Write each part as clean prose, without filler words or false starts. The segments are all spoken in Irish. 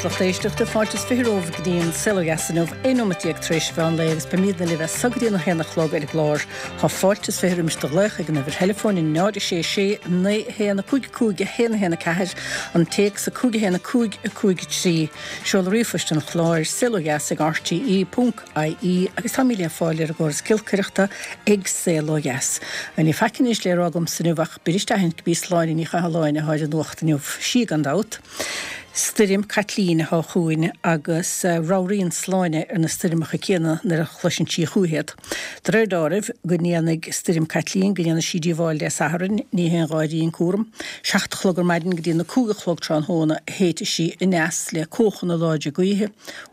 is lucht éisteachta, fáilte is 20 romhaibh go dtí an Saol Ó Dheas inniu, 11 nóimeat tar éis an mheán lae agus beimidne libh as so go dtí an 1 a chlog ar an gclár. Tá fáilte is 20 roimis do ghlaoch ag an uimhir theileafóin 0 6 6 9 1 5 5 1 1 4, an téacs 5 1 5 5 3, seoladh ríomhphoist an chláir, saolodheas ag rte ponc ie agus táimid le fáil ar an gcóras giolcaireachta ag Saol Ó Dheas. Níl faic anois le rá agamsa inniu ach b'fhuirist a aithint gurb í Sláine Ní Chathalláin atá ar an nuacht inniu. Sí gan dabht. Stoirm Caitlín atá chugainn agus ramhraíonn Sláine ar na stoirmeacha céanna nuair a chloiseann sí chúichi iad. De réir dealraimh go ndéanfaidh Stoirm Caitlín go ndéanfaidh sí díobháil Dé Sathairn, ní haon gháirí an cúram. 7 a chlog ar maidin go dtí na 5 a chlog tráthnóna a shéidfidh sí aneas le cóchanna láidre gaoithe,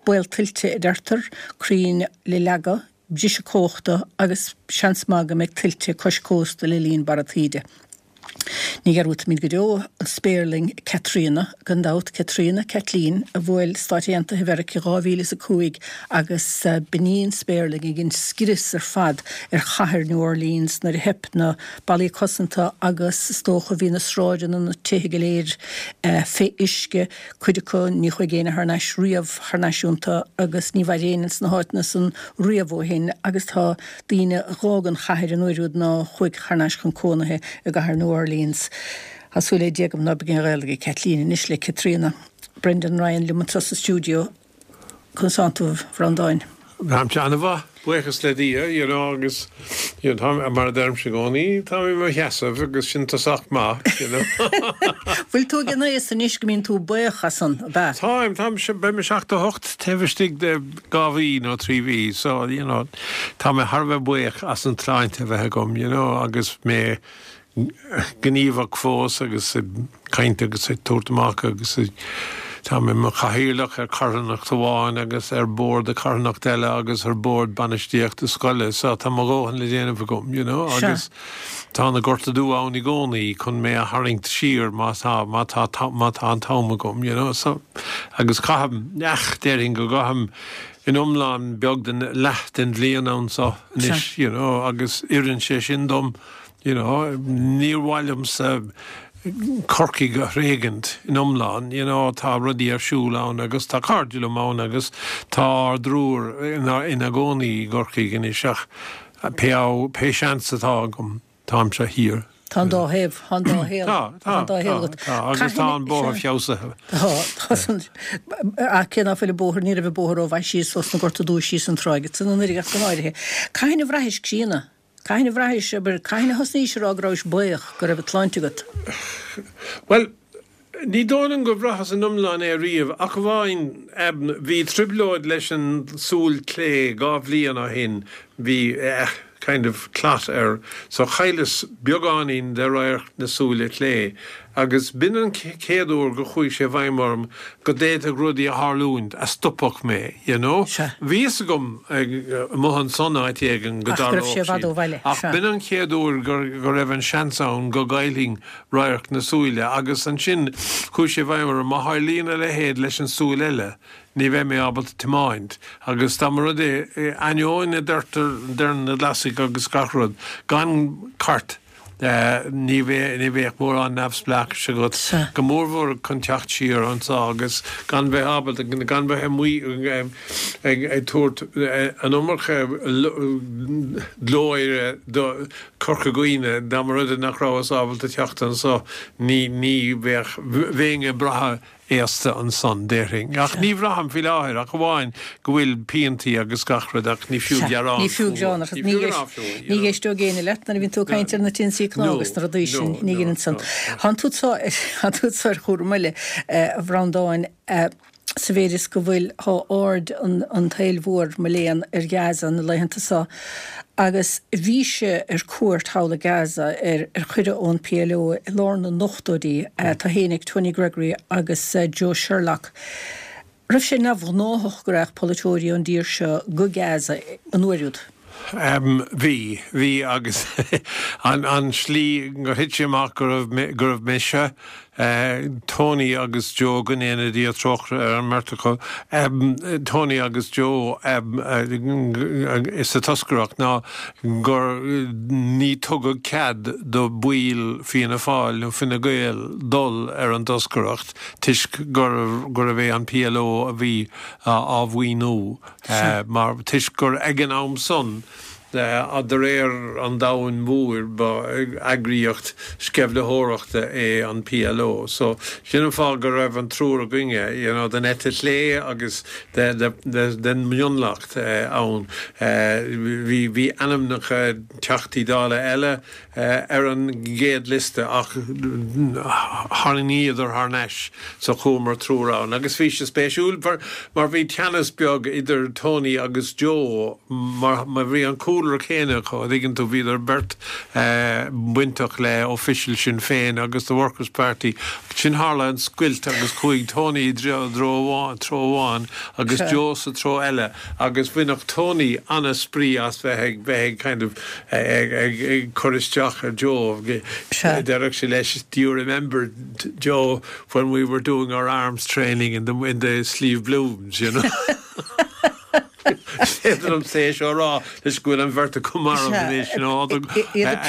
baol tuilte a deirtear, crainn le leagadh, briseadh cumhachta agus seans maith go mbeidh tuilte cois cósta le linn barra taoide. Ní dhearúdfaimid go deo an spéirling Caitríona, gan dabht, Caitríona, Caitlín, a bhuail Stáit Aontaithe Mheiriceá 2005 agus b'in í an spéirling a dhein scrios ar fad ar chathair New Orleans nuair a theip na ballaí cosanta agus is dócha bhí na sráideanna, na tithe go léir fé uisce. Cuid acu, ní chuaigh éinne thar n-ais riamh thar n-ais iontu agus ní mhair éinne ins na háiteanna san riamh ó shin agus tá daoine a dh'fhág an chathair an uair úd ná chuaigh thar n-ais chun cónaithe i gcathair New Orleans. Tá súil le Dia agam ná beidh aon ghaol ag Caitlín anois le Caitríona. Brendan Ryan liom anseo sa stiúideo. Conas tánn tú, a Bhreandáin? Táimse an-mhaith, buíochas le Dia, you know, agus, you know, tá, mar a deirimse i gcónaí, táim i mo sheasamh agus sin tosach maith, you know. Bhfuil tú ag an aois anois go mbíonn tú buíoch as san, ab ea? Táim, táim, beidh mé 78 taobh istigh de dhá mhí nó trí mhí, so, you know, tá mé thar a bheith buíoch as an tsláinte a bheith agam, you know, agus mé gníomhach fós agus ag caint agus ag tabhairt amach agus tá mé i mo chathaoirleach ar charthanacht amháin agus ar bord de charthanacht eile agus ar bord bainistíochta scoile so tá mo dhóthain le déanamh agam you know agus tá na Gorta Dubha ann i gcónaí chun mé a tharraingt siar má tá má tá má tá an t-am agam you know so agus caithim ach déarfainn go gcaithim in iomlán beag den leath den bhliain anso anois you know agus oireann sé sin dom. You know, níor mhaith liomsa Corcaigh a thréigint in iomlán, you know, tá rudaí ar siúl ann agus tá cairde liom ann agus tá ár dtriúr ina gcónaí i gCorcaigh anois ach pé pé seans atá agam, táimse thiar. Tá an dá thaobh, tá an dá shaol, tá, tá an dá shaol agat. Tá, agus tá an bóthar feabhsaithe. Tá, tá san, ach cé ná fuil an bóthar, ní raibh an bóthar rómhaith síos ós na Gorta Dubha síos an tráigh, san an ach go háirithe. Cathain a bhraithis críonna? Cathain a bhraithis, abair, cathain a thosnaís a rá go rabhais buíoch go raibh an tsláinte agat? Bhuel, ní dóigh liom gur bhraitheas in iomlán é riamh, ach amháin, bhí trioblóid leis an súil clé dhá bhliain ó shin, bhí eh, kind of clot air, so chailleas beagáinín de radharc na súile clé. Agus b'in an chéad uair go chuaigh sé i bhfeidhm orm go d'fhéadfadh rudaí a tharlúint a stopfadh mé, you know. Sea. Bhí fhios agam amuigh ansan áit éigin go Ach go raibh dtarlódh sé i bhfad siad, ó bhaile. ach Sea. b'in an chéad uair gur, go raibh an seans ann go gcaillfinn radharc na súile agus ansin chuaigh sé i bhfeidhm orm, má tharlaíonn a leithéid leis an súil eile, ní bheidh mé ábalta tiomáint. Agus dá mba rud é, ainneoin a deirtear, deireann na Glasaigh agus gach rud, gan cairt, Ní bheadh mórán neamhspleáchais agat, go mórmhór chun teacht siar anso agus gan bheith ábalta, gan bheith amuigh ag tabhairt an iomarca glóire do Chorca Dhuibhne. Dá mba rud é nach rabhas ábalta teacht anso, ní bheadh, bheinn ag brath aosta ansan, déarfainn. Ach ní bhraithim faoi láthair ach amháin go bhfuil piantaí agus gach rud ach ní fiú Sea, gearán ní fiú fúthu. gearán ach Ní ní fiú gearán fúthu, you ní know. éisteoidh éinne leat nuair a bhíonn tú ag caint ar na tinnsí cnámh No, agus na rudaí sin, no, ní no, dhéanann san. no, no. Thánn tú thánn tú ar chúram eile, a Bhreandáin, sa mhéid is go bhfuil, thá aird an an tsaoil mhóir, mo léan, ar Ghaza na laethanta so agus bhís-se ar cuairt thall i Gaza ar ar chuireadh ón PLO i lár na n-ochtóidí, tú fhéinig, Tony Gregory agus Joe Sherlock. Raibh sé neamhghnáthach go raghadh polaiteoirí ón dtír seo go Gaza an uair úd? Bhí, bhí agus an an slí gur thit sé amach go raibh go raibh mise. Tony agus Joe, go ndéana Dia trócaire ar an mbeirt acu, Tony agus Joe sa toscaireacht ná gur ní tugadh cead do baill Fianna Fáil nó Fine Gael dul ar an dtoscaireacht toisc gurbh é an PLO a bhí á mhaoiniú mar toisc gur ag an am san De réir an domhain mhóir, ba eagraíocht sceimhlitheoireachta é an PLO. So, sin an fáth go raibh an triúr againne, you know, den eite chlé agus den mhionlach ann. Bhí, bhí ainmneacha Teachtaí Dála eile ar an gcéad liosta ach tharraingíodar thar n-ais so chuamar triúr ann agus bhí sé spéisiúil mar bhí teannas beag idir Tony agus Joe mar bhí an cúlra céanna acu, an dtuigeann tú, bhíodar beirt bainteach le official Sinn Féin agus the Workers Party. Ansin tharla an scoilt agus chuaigh Tony i dtreo amháin agus Joe sa treo eile. Agus bhainfeadh Tony ana-spraoi as bheith ag, bheith ag kind of, ag, ag, ag cur isteach ar Joe. Déarfadh sé leis, do you remember, Joe, when we were doing our arms training in the, in the Slieve Blooms, you know? Is féidir liomsa é seo a rá toisc go bhfuil an bheirt acu marbh anois, you know. Iad ag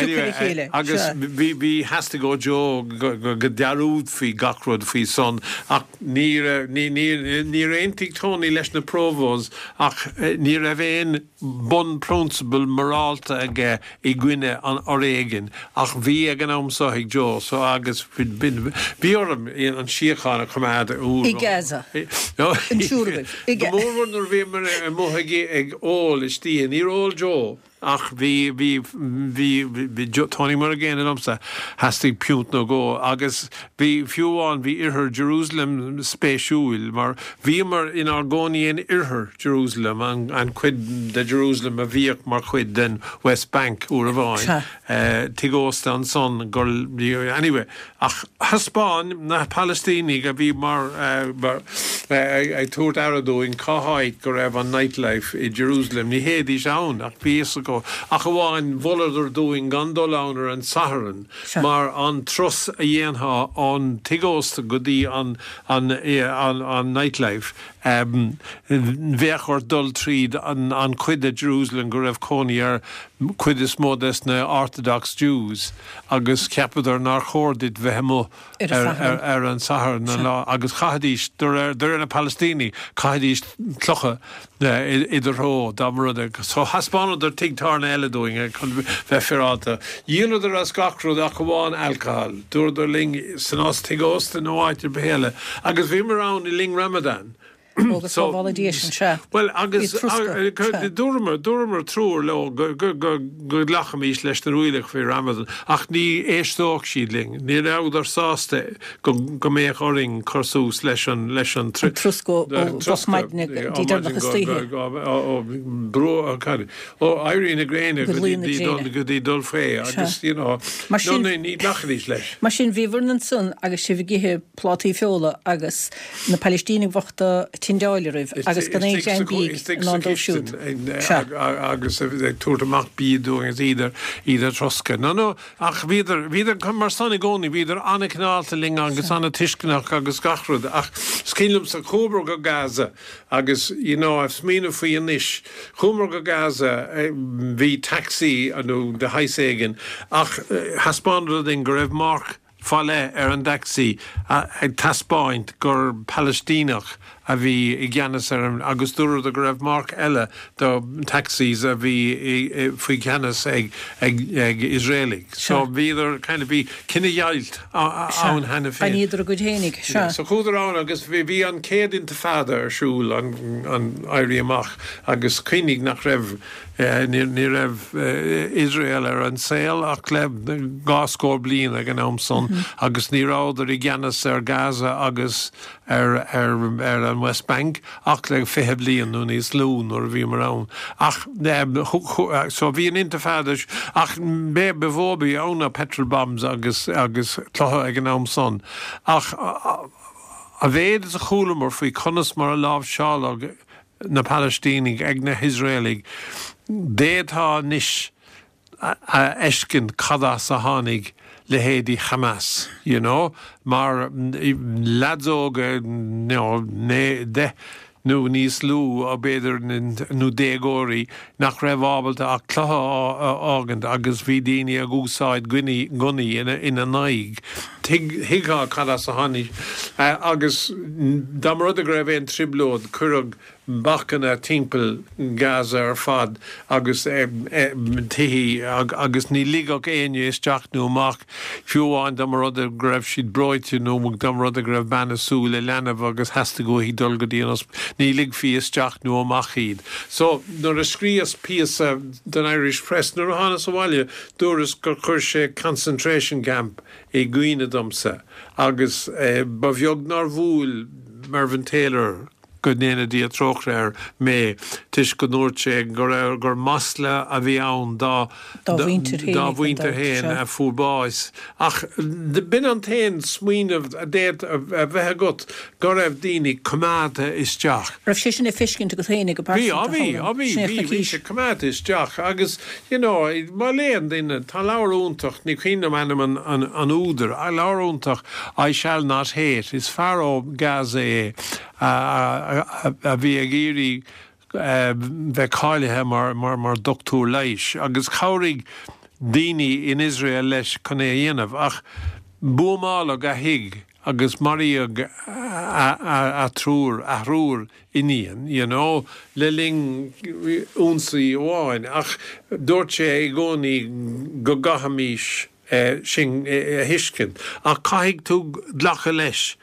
piocadh a chéile. Agus bhí, bhí, theastaigh ó Joe go, go, go ndearúdfaí gach rud faoi san ach Níor aontaigh Tony leis na Provos ach ní raibh aon bunphrionsabal morálta aige i gcoinne an fhoréigin ach bhí ag an am so ag Joe so agus bhí orm an síocháin a choimeád uair I Gaza. An triúr agaibh. Go mórmhór nuair a bhíomar amuigh ag ól istoíche. Níor ól Joe. Ach bhí, bhí, bhí, bhí Tony mar an gcéanna liomsa, theastaigh piúnt nó dhó agus bhí, fiú amháin bhí oirthear Jerusalem spéisiúil mar bhíomar inár gcónaí in oirthear Jerusalem, an, an chuid de Jerusalem a bhíodh mar chuid den West Bank uair amháin, tigh ósta ansan gur, anyway. Ach thaispeáin na Palaistínigh a bhí mar ag tabhairt aire dúinn cá háit go raibh an nightlife i Jerusalem. Ní théidís ann ach bhí fhios acu. Ach amháin mholadar dúinn gan dul ann ar an Satharn mar an turas a dhéanfá ón tigh ósta go dtí an an nightlife bheadh ort dul tríd an chuid de Jerusalem go raibh cónaí ar chuid is mó des na Orthodox Jews. agus cheapadar nár chóir duit bheith amuigh ar an Satharn an lá agus chaithfidís, de réir na Palaistínigh, chaithfidís clocha i do threo dá mba rud é. So thaispeánadar tigh tábhairne eile dúinn chun bheith féaráilte. Dhíoladar as gach rud ach amháin alcohol. Dúradar linn san tigh ósta nó áit ar bith eile. Agus bhíomar ann i linn Ramadan. Ó, go sábhála Dia sinn, sea. Bhuel, agus dúramar, dúramar triúr leo go nglacfaimis leis na rialacha faoi Ramadan, ach ní éisteodh siad linn. Ní rabhadar sásta go mbeadh orainn cur suas leis an, leis an troscadh ó mhoch maidne go dtí deireanach istoíche. Ó éirí na gréine go dtí dul faoi agus, you know, ní ghlacfaidís leis. Mar sin, bhíobhair ansan agus sibh ag ithe plátaí feola agus na Palaistínigh bhochta ag tindeáil oraibh agus gan aon ghreim bídh i ndán dóibh siúd. Sea. Agus ag tabhairt amach bídh dúinn agus iad ar, iad ar troscadh. No, no, ach bhíodar, bhíodar mar san i gcónaí, bhíodar an-chineálta linn agus an-tuisceanach agus gach rud ach is cuimhin liomsa, chuamar go Gaza agus, you know, ag smaoineamh faoi anois, chuamar go Gaza, bhí taxi nó de shaghas éigin ach thaispeánadar dúinn go raibh marc, fá leith ar an dtacsaí ag taispeáint gur Palaistíneach a bhí i gceannas ar an agus dúradar go raibh marc eile do taxis a bhí faoi cheannas ag ag Iosraelaigh. So bhíodar kind of bhí cinedheighilt ann cheana féin. D'aithníodar a gcuid fhéinig, sea. So chuadar ann agus bhí an chéad Intifada ar siúl, an an Éirí Amach agus cuimhnigh nach raibh Ní raibh Iosrael ar an saol ach le dhá scór bliain ag an am san agus ní rabhadar i gceannas ar Gaza agus ar an West Bank ach le 20 bliain nó níos lú nuair a bhíomar ann. Ach so bhí an Intifada ach b'é ba mhó a bhí ann ná petrol bombs agus agus clocha ag an am san. Ach a mhéad is a chualamar faoi conas mar a láimhseáladh na Palaistínigh ag na hIosraelaigh. D'fhéadfá anois. a fheiscint cad as a tháinig leithéidí Hamas, you know, mar leaids óga, you know, 10 nó níos lú, b'fhéidir, nó déagóirí nach raibh ábalta ach cluiche a fhágaint agus bhí daoine ag úsáid gunnaí ina n-aghaidh. Thuigfeá cad as a tháinig agus dá mba rud é go raibh aon trioblóid, cuireadh bacanna timpeall Gaza ar fad agus tithí agus ní ligeadh éinne isteach nó amach, fiú amháin dá mba rud é go raibh siad breoite nó dá mba rud é go raibh bean ag súil le leanbh agus theastaigh uaithi dul go dtí an ospidéal, ní ligfí isteach nó amach iad. So, nuair a scríos píosa don Irish Press nuair a thánas abhaile, dúras gur chuir sé concentration camp i gcuimhne domsa agus ba bheag nár bhuail Mervyn Taylor, go ndéana Dia trócaire air, mé, toisc go ndúirt sé go raibh, gur masla a bhí ann dá, dá mhuintir féin, dá mhuintir féin a fuair bás. Ach b'in an t-aon smaoineamh a d'fhéadfadh a bheith agat, go raibh daoine coimeádta isteach. Raibh sé sin le feiscint agat féin go pearsanta, a Cholm? Bhí, á bhí, bhí, bhí sé coimeádta isteach agus, you know, má léann duine, tá leabhar iontach, ní cuimhin liom ainm an, an, an údair, leabhar iontach, I Shall Not Hate, is fear ó Gaza é, a bhí ag iarraidh bheith cáilithe mar dochtúir leighis agus chabhraigh daoine in Iosrael leis chun é a dhéanamh ach buamáladh a thigh agus maraíodh a triúr, a thriúr iníon, you know, le linn ionsaí amháin ach dúirt sé i gcónaí go gcaithfimís sin a thuiscint ach caithfidh tú glacadh leis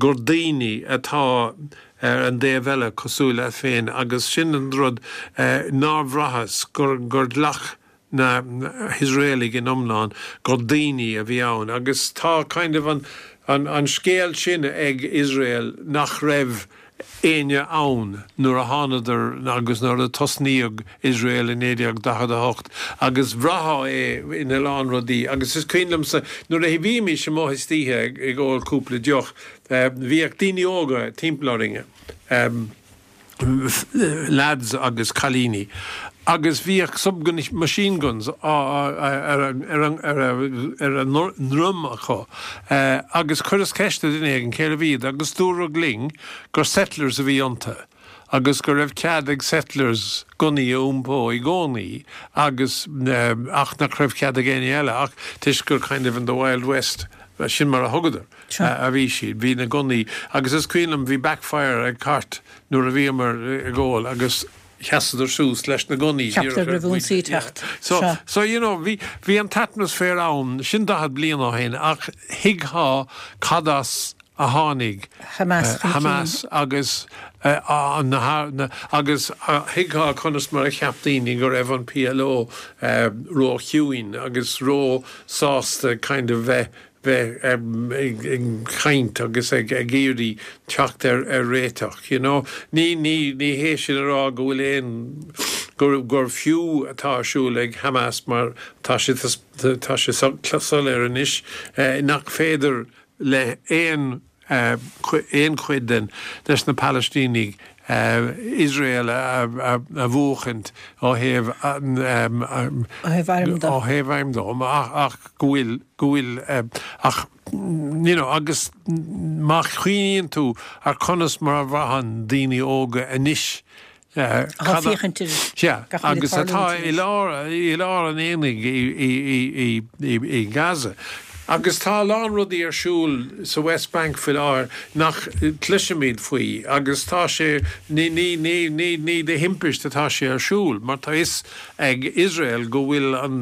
gur daoine atá ar an dtaobh eile cosúil leat féin agus sin an rud nár bhraitheas gur gur ghlac na hIosraelaigh in iomlán gur daoine a bhí ann agus tá kind of an an an scéal sin ag Iosrael nach raibh éinne ann nuair a thánadar agus nuair a tosnaíodh Iosrael i 1948 agus bhraithfeá é ina lán rudaí agus is cuimhin liomsa nuair a bhímis amuigh istoíche ag ól cúpla deoch bhíodh daoine óga timpeall orainn, lads agus cailíní agus bhíodh sub machine guns ar a ndroim acu agus chuireas ceist ar dhuine éigin cérbh iad agus dúradh linn gur settlers a bhí iontu agus go raibh cead ag settlers gunnaí a iompó i gcónaí agus ach nach raibh cead ag éinne eile ach toisc gur kind of in the wild west sin mar a thugadar a bhí siad bhí na gunnaí agus is cuimhin liom bhí backfire ag cairt nuair a bhíomar ag ól agus sheasadar suas leis na gunnaí Cheapadar go raibh ionsaí ag teacht. So, so you know, bhí, bhí an t-atmaisféar ann, sin 40 bliain ó shin, ach thuigfeá cad as a tháinig Hamas chun cinn. Hamas agus na, agus thuigfeá conas mar a cheap daoine go raibh an PLO ró-chiúin agus ró-sásta kind of bheith bheith ag caint agus ag iarraidh teacht ar réiteach, you know. Ní, ní, ní hé sin a rá go bhfuil aon, gur, gur fiú atá ar siúl ag Hamas mar tá sé, tá sé soiléir anois nach féidir le aon, aon chuid den, des na Palaistínigh Iosrael a bhuachaint ó thaobh airm de. Ó thaobh airm de, ach go bhfuil, go bhfuil, ach you know agus má chuimhníonn tú ar conas mar a bhraitheann daoine óga anois Atá ag féachaint ar Sea, gach a bhfuil ag agus atá tarlúint i lár, i lár an aonaigh i Gaza. Agus tá a lán rudaí ar siúl sa West Bank faoi láthair nach gcloisimid faoi agus tá sé, ní, ní, ní, ní, ní de thimpist atá sé ar siúl mar tá fhios ag Iosrael go bhfuil an,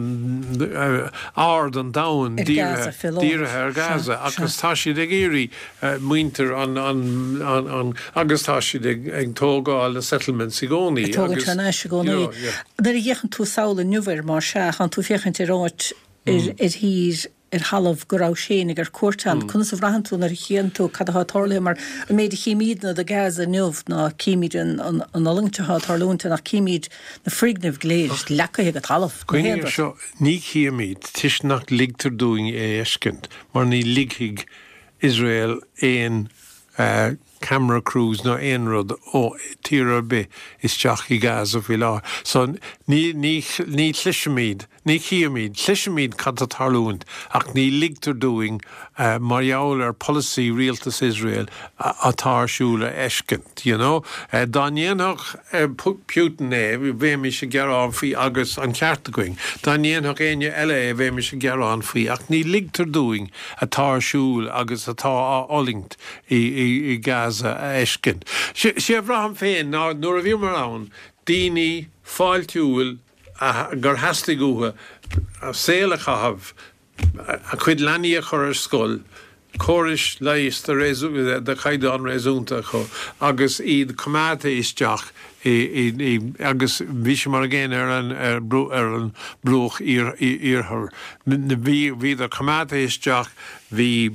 aird an domhain Ar Gaza fé láthair. dírithe ar Gaza Sea, sea. agus tá siad ag iarraidh muintir an, an, an, an, agus tá siad ag, ag tógáil na settlements i gcónaí Ag tógaint agus, thar n-ais i gcónaí. you know, yeah. Nuair a fhéachann tú sall inniu air mar sea, tánn tú ag féachaint ar áit ar thír, ar thalamh go rabhais féinig ar cuairt ann. Conas a bhraitheann tú nuair a chíonn tú cad atá tarlaithe? Mar an méid a chímídne de Gaza inniu ná címid an fhulaingt atá ag tarlúint ann ach címid na foirgnimh go léir leagtha go talamh, na haon rud. Seo, ní chímid, toisc nach ligtear dúinn é a fheiscint, mar ní ligfidh Iosrael aon. camera crews ná aon rud ó tír ar bith isteach i Gaza faoi láthair. So ní, ní, ní chloisimid, ní chímid, cloisimid cad tá tarlúint ach ní ligtear dúinn mar gheall ar polasaí rialtas Iosrael atá ar siúl a fheiscint, you know. Dá ndéanfadh Putin é, bheimis ag gearán faoi agus an ceart againn. Dá ndéanfadh éinne eile é, bheimis ag gearán faoi ach ní ligtear dúinn atá ar siúl agus atá á fhulaingt i Gaza a fheiscint. Sé a bhraithim féin ná nuair a bhíomar ann, daoine fáiltiúil gur theastaigh uathu saol a chaitheamh, a gcuid leanaí a chur ar scoil, córais leighis de chaighdeán réasúnta acu agus iad coimeádta isteach i agus bhí sé mar an gcéanna ar an ar an bruach iarthair. Bhí bhíodar coimeádta isteach Bhí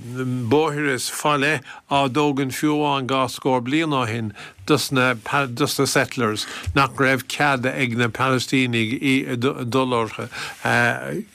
bóithre fá leith á dtógaint fiú amháin dhá scór bliain ó shin dos na dos na settlers nach raibh cead ag na Palaistínigh dul orthu.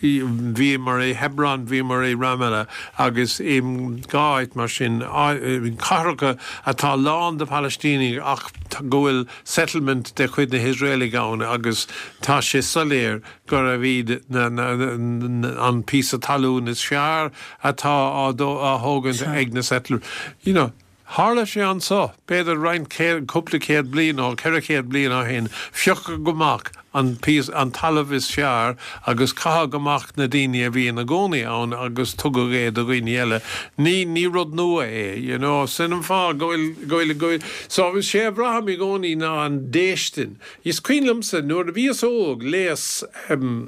Bhíomar i Hebron, bhíomar i Ramallah agus i dhá áit mar sin, cathracha atá lán de Phalaistínigh ach go bhfuil settlement de chuid na hIosraelaigh ann agus tá sé soiléir gurbh iad an píosa talún is fearr atá á thógaint ag na settlers. You know, tharla sé anso, b'fhéidir roinnt céad, cúpla céad bliain nó 400 bliain ó shin, phiocadh amach an píosa, an talamh is fearr agus caitheadh amach na daoine a bhí ina gcónaí ann agus tugadh é do dhaoine eile. Ní, ní rud nua é, you know. Sin an fáth go bhfuil, go bhfuil, go bhfuil, so, sé a bhraithim i gcónaí ná an déistin. Is cuimhin liomsa nuair a bhíos óg, léas,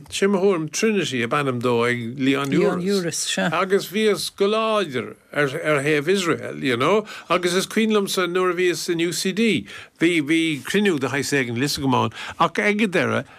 sé mo thuairim, Trinity ab ainm dó ag Leon Leon Uris, sea. Agus bhíos go láidir ar, ar thaobh Iosrael, you know. Agus is cuimhin liomsa nuair a bhíos in UCD, bhí, bhí cruinniú de shaghas éigin, níl 'fhios agam ann, ach ag an deireadh,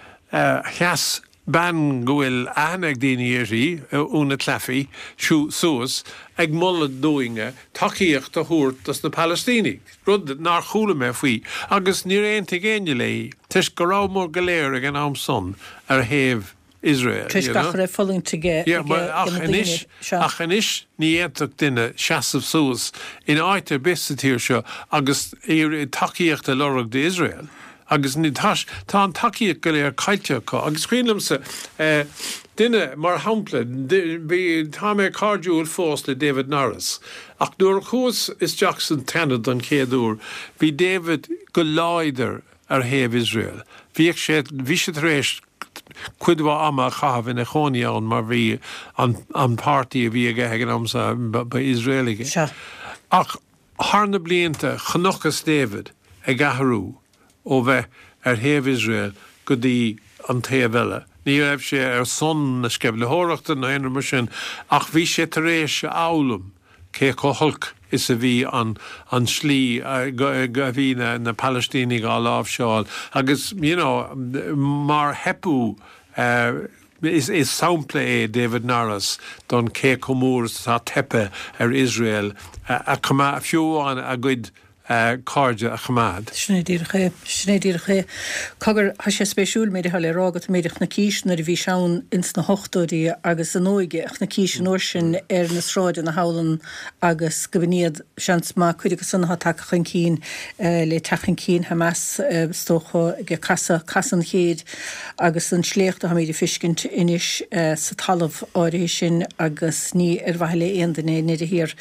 sheas bean go bhfuil aithne ag daoine uirthi, Úna Claffey, suas ag moladh dúinne tacaíocht a thabhairt dos na Palaistínigh, rud nár chuala mé faoi, agus níor aontaigh éinne léi, toisc go rabhamar go léir ag an am san ar thaobh Iosrael, you know. Toisc gach a raibh fulaingt ag na daoine seo. Ach anois ní fhéadfadh duine seasamh suas in áit ar bith sa tír seo agus tacaíocht a lorg d'Iosrael. Agus ní, tá, tá an tacaíocht go léir caillte acu. Agus cuimhin liomsa duine, mar shampla, bhí, tá mé cairdiúil fós le David Norris. Ach nuair a chuas isteach san tSeanad don chéad uair, bhí David go láidir ar thaobh Iosrael. Bhíodh sé, bhí sé tar éis cuid mhaith ama a chaitheamh ina chónaí ann mar bhí an, an páirtí a bhí aige ag an am so, ba, ba Iosraelaigh é. Ach Thar na blianta, chonacthas David ag athrú ó bheith ar thaobh Iosrael go dtí an taobh eile. Ní raibh sé ar son na sceimhlitheoireachta nó aon rud mar sin, ach bhí sé tar éis a fhoghlaim cé chomh holc is a bhí an an slí a bhí na Palaistínigh á láimhseáil agus, you know, mar theipeadh Is sampla é David Norris don cé chomh mór is atá teipthe ar Iosrael a choimeád, fiú amháin a gcuid cairde a choimeád. Sin é díreach é. Sin é díreach é. Cogar, tá sé spéisiúil, méid atá le rá agat, méid a chonacís nuair a bhís ann ins na hochtóidí agus an óige a chonacís an uair sin ar na sráideanna thall ann agus go b'in iad, seans maith, cuid acu san atá tagtha chun cinn le teacht chun cinn Hamas, is dócha, ag casadh, casadh an chéid. Agus an sléacht atáimid ag feiscint anois sa talamh áirithe sin agus ní ar mhaithe le aon duine i ndeireadh thiar.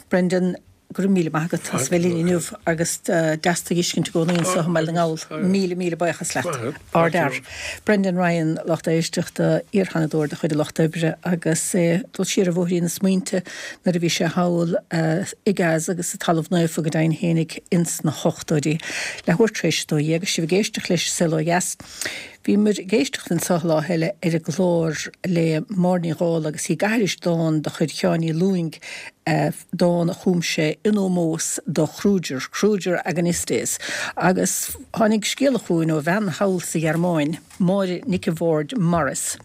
Brendan, go raibh míle maith agat as bheith linn inniu agus deas tú a fheiscint i gcónaí anseo i mBaile na nGall. Míle, míle buíochas leat. Ardfhear. Brendan Ryan, lucht éisteachta, iar-Sheanadóir de chuid an Lucht Oibre agus é ag dul siar ar bhóithrín na smaointe nuair a bhí sé thall i Gaza agus sa Talamh Naofa go deimhin fhéinig ins na hochtóidí. Leathuair tar éis a 12 agus sibh ag éisteacht leis An Saol Ó Dheas. Bhíomar ag éisteacht anso lá eile ar an gclár le Máire Ní Dhálaigh agus í ag aithris dán de chuid Sheáin Uí Lúing, dán a chum sé in ómós do Kruger, Kruger Agonistes. Agus tháinig scéala chugainn ó bhean thall sa Ghearmáin, Máire Nic a' Bhaird Morris,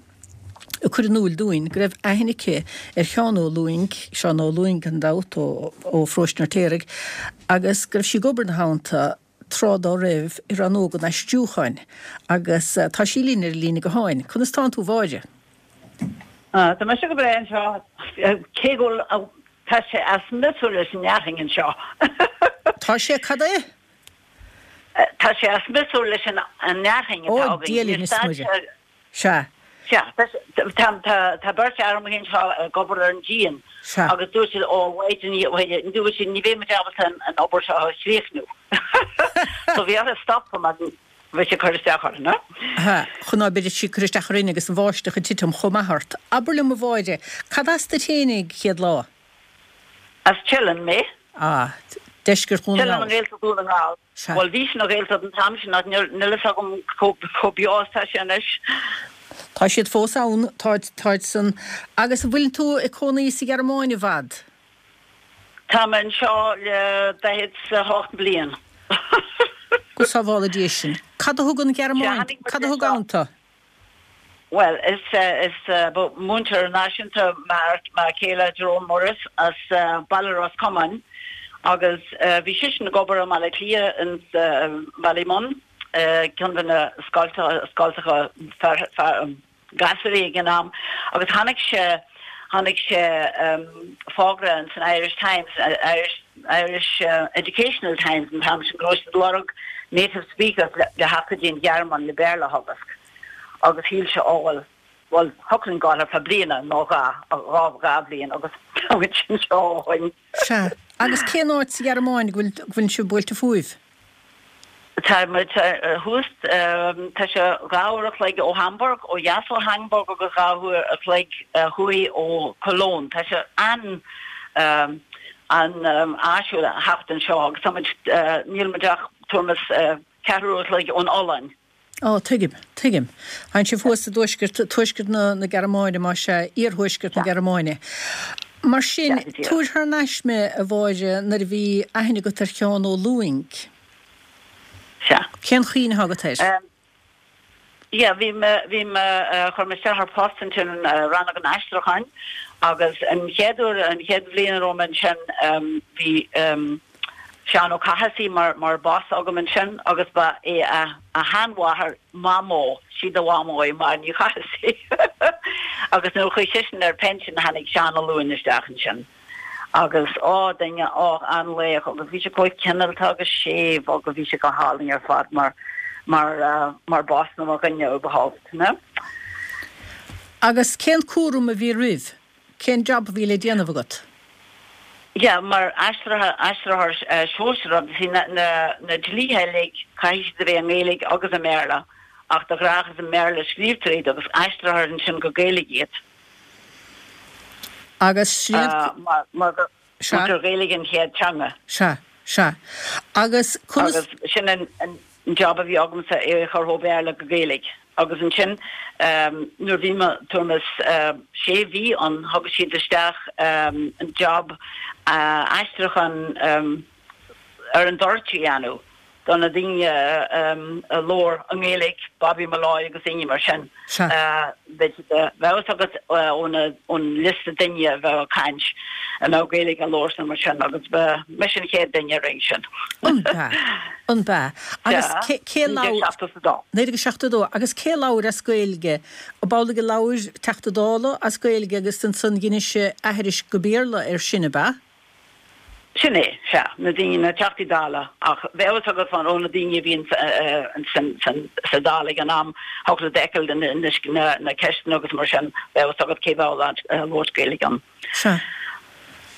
ag cur in iúil dúinn go raibh aithne aici ar Sheán Ó Lúing, Seán Ó Lúing gan dabht, ó Pharóiste an Fheirtéaraigh, agus go raibh sí ag obair ina theannta tráth dá raibh i Rannóg an Aistriúcháin agus tá sí linn ar an líne gutháin. Conas tánn tú, a Mháire? Tá mise go breá anseo, cé go bhfuil, tá sé as miosúr leis an fhearthainn anseo. Tá sé cad é? Tá sé as miosúr leis an fhearthainn atá Ó, againn. Dia linn Níor is stad Muire. sé. Sea. Sea. Tá beirt fhear amuigh anseo ag obair ar an díon Sea. agus dúirt siad, Ó, a Mháire, dúirt siad, ní bheidh muid ábalta an obair seo a chríochnú. So bhí orthu stopadh mar bhí sé ag cur isteach orthu, no? Sea, chun ná beidh sí ag cur isteach orainn agus an bháisteach ag titim chomh maith ort. Abair liom, a Mháire, cad as duit fhéinig, chéad lá? As Teileann mé. Ah, deisceart Dhún na Teileann nGall. i nGaeltacht Dhún na nGall. Sea. Bhuel, bhí sin ina Ghaeltacht an t-am sin ach níl fhios agam chomh beo is tá sé anois. Tá siad fós ann, táid, táid san. Agus an bhfuil tú ag cónaí sa Ghearmáin i bhfad? Tá mé anseo le 48 bliain. Go sábhála Dia sinn. Cad a thug an Ghearmáin, cad a thug ann tú? Bhuel, is is múinteoir náisiúnta m'fhear céile Jerome Morris as Baile Ros Comáin agus bhí seisean ag obair i mBaile Átha Cliath in Ballymun, ceann de na scoltacha gasúirí ag an am agus tháinig sé tháinig sé fógra in san Irish Times, Irish Irish Educational Times an t-am sin go raibh siad ag lorg native speakers le theacht go dtí an Ghearmáin le Béarla a theagasc. Agus shíl sé, ó bhuel, bhuel, thiocfadh linn gabháil ar feadh bliana nó dhá, dhá, dhá bhliain agus tá muid anseo ó shoin. Sea. Agus cén áit sa Ghearmáin go bhfuil, go bhfuil sibh buailte fúibh? Tá muid thuas, tá sé dhá uair a chloig ó Hamburg, ó dheas ó Hamburg agus dhá uair a chloig thuaidh ó Cologne. Tá sé an, an-áisiúil a theacht anseo agus tá muid, níl muid ach tuairim is ceathrú uair a chloig ón Ollainn. Á, tuigim, tuigim. Tánn sibh thuas i dtuaisceart, tuaisceart na, na Gearmáine, más ea, iarthuaisceart na Gearmáine. Mar sin, tabhair thar n-ais mé, a Mháire, nuair a bhí aithne agat ar Sheán Ó Lúing. Sea. Cén chuimhne atá agat air? Yeah, bhí mé, bhí mé, chuir mé isteach ar phost ansin i rannóg an aistriúcháin agus an chéad uair, an chéad bhliain a raibh mé ansin, bhí Seán Ó Cathasaigh mar, mar boss agam ansin agus ba é a, a sheanmháthair Mamó, sí do mhamó í, Máire Ní Chathasaigh agus nuair a chuaigh seisean ar pension tháinig Seán Ó Lúing isteach ansin. Agus, á, duine, á, an-laoch agus bhí sé chomh cineálta agus séimh agus bhí sé go hálainn ar fad mar, mar, mar boss nó mar dhuine überhaupt, ne? Agus cén cúram a bhí roimh? Cén job a bhí le déanamh agat? Yeah, mar aistritheoir, aistritheoir sóisearach, you see, na, na, na dlíthe uilig, caithfidh siad a bheith i nGaeilge agus i mBéarla, ach de ghnách is i mBéarla a scríobhtar iad agus aistrítear ansin go Gaeilge iad. Agus sríobh. Mar gur Gaeilge an chéad teanga. Sea, sea. Agus conas. Agus sin an job a bhí agamsa, é a chur ó Bhéarla go Gaeilge. Agus ansin nuair a bhí mé tuairim is sé mhí ann, thug siad isteach an job aistriúchán ar an dtoirt a dhéanamh. do na daoine a labhair i nGaeilge, Bobby Molloy agus daoine mar sin. Bheadh a fhios agat ón liosta daoine a bheadh ag caint a mbeadh Gaeilge á labhairt nó mar sin agus ba mise an chéad duine a rinne sin. An b'ea? An b'ea? Agus cé labhair? 1972. 1972. Agus cé labhair as Gaeilge? Ab amhlaidh a labhair Teachta Dála as Gaeilge agus ansan dheinis sé aithris go Béarla air sin, ab ea? Sin é, sea, na daoine, na Teachtaí Dála, ach bheadh a fhios agat ó na daoine a bhí sa Dáil ag an am, thiocfadh leat a fheiceáil na ceisteanna agus mar sin, bheadh a fhios agat cé bheadh ag labhairt Gaeilge ann. Sea.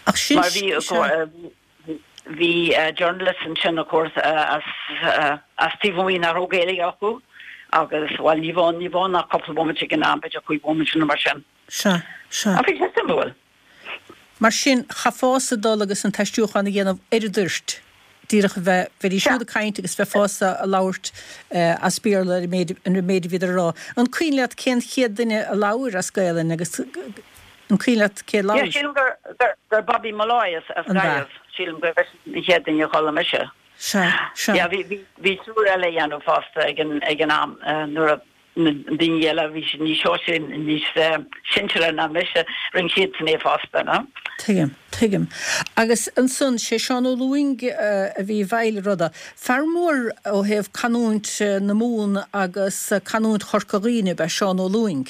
Ach sin, Mar bhí, sea. bhí journalists ansin, of course, as, as taobh amuigh nach raibh Gaeilge acu agus, bhuel, ní bheadh, ní bheadh ach cúpla bomaite ag an am, b'fhéidir cúig bhomaite nó mar sin. Sea, sea. Ach bhí sé suimiúil. Mar sin, chaithfeása dul agus an t-aistriúchán a dhéanamh ar an dtoirt, díreach a bheith, bheidís siúd ag caint agus bheifeása a labhairt as Béarla ar an méid, an méid a bhíodar a rá. An cuimhin leat cén chéad duine a labhair as Gaelainn agus an cuimhin leat cé a labhair? Yeah, sílim gur, gur, gur Bobby Molloy as, as Gaillimh. Sílim gur eisean an chéad duine a chuala mise. Sea, sea. Yeah, bhí, bhí, bhí triúr eile a dhéanamh fosta ag an, ag an am nuair a, na daoine eile a bhí níos sóisearaí, níos sinsearaí ná mise, rinne siadsan é fosta, no? Tuigim, tuigim. Agus ansan, sé Seán Ó Lúing a bhí i bhfeighil ruda. Fear mór ó thaobh canúint na Mumhan agus canúint Chorca Dhuibhne ab ea Seán Ó Lúing.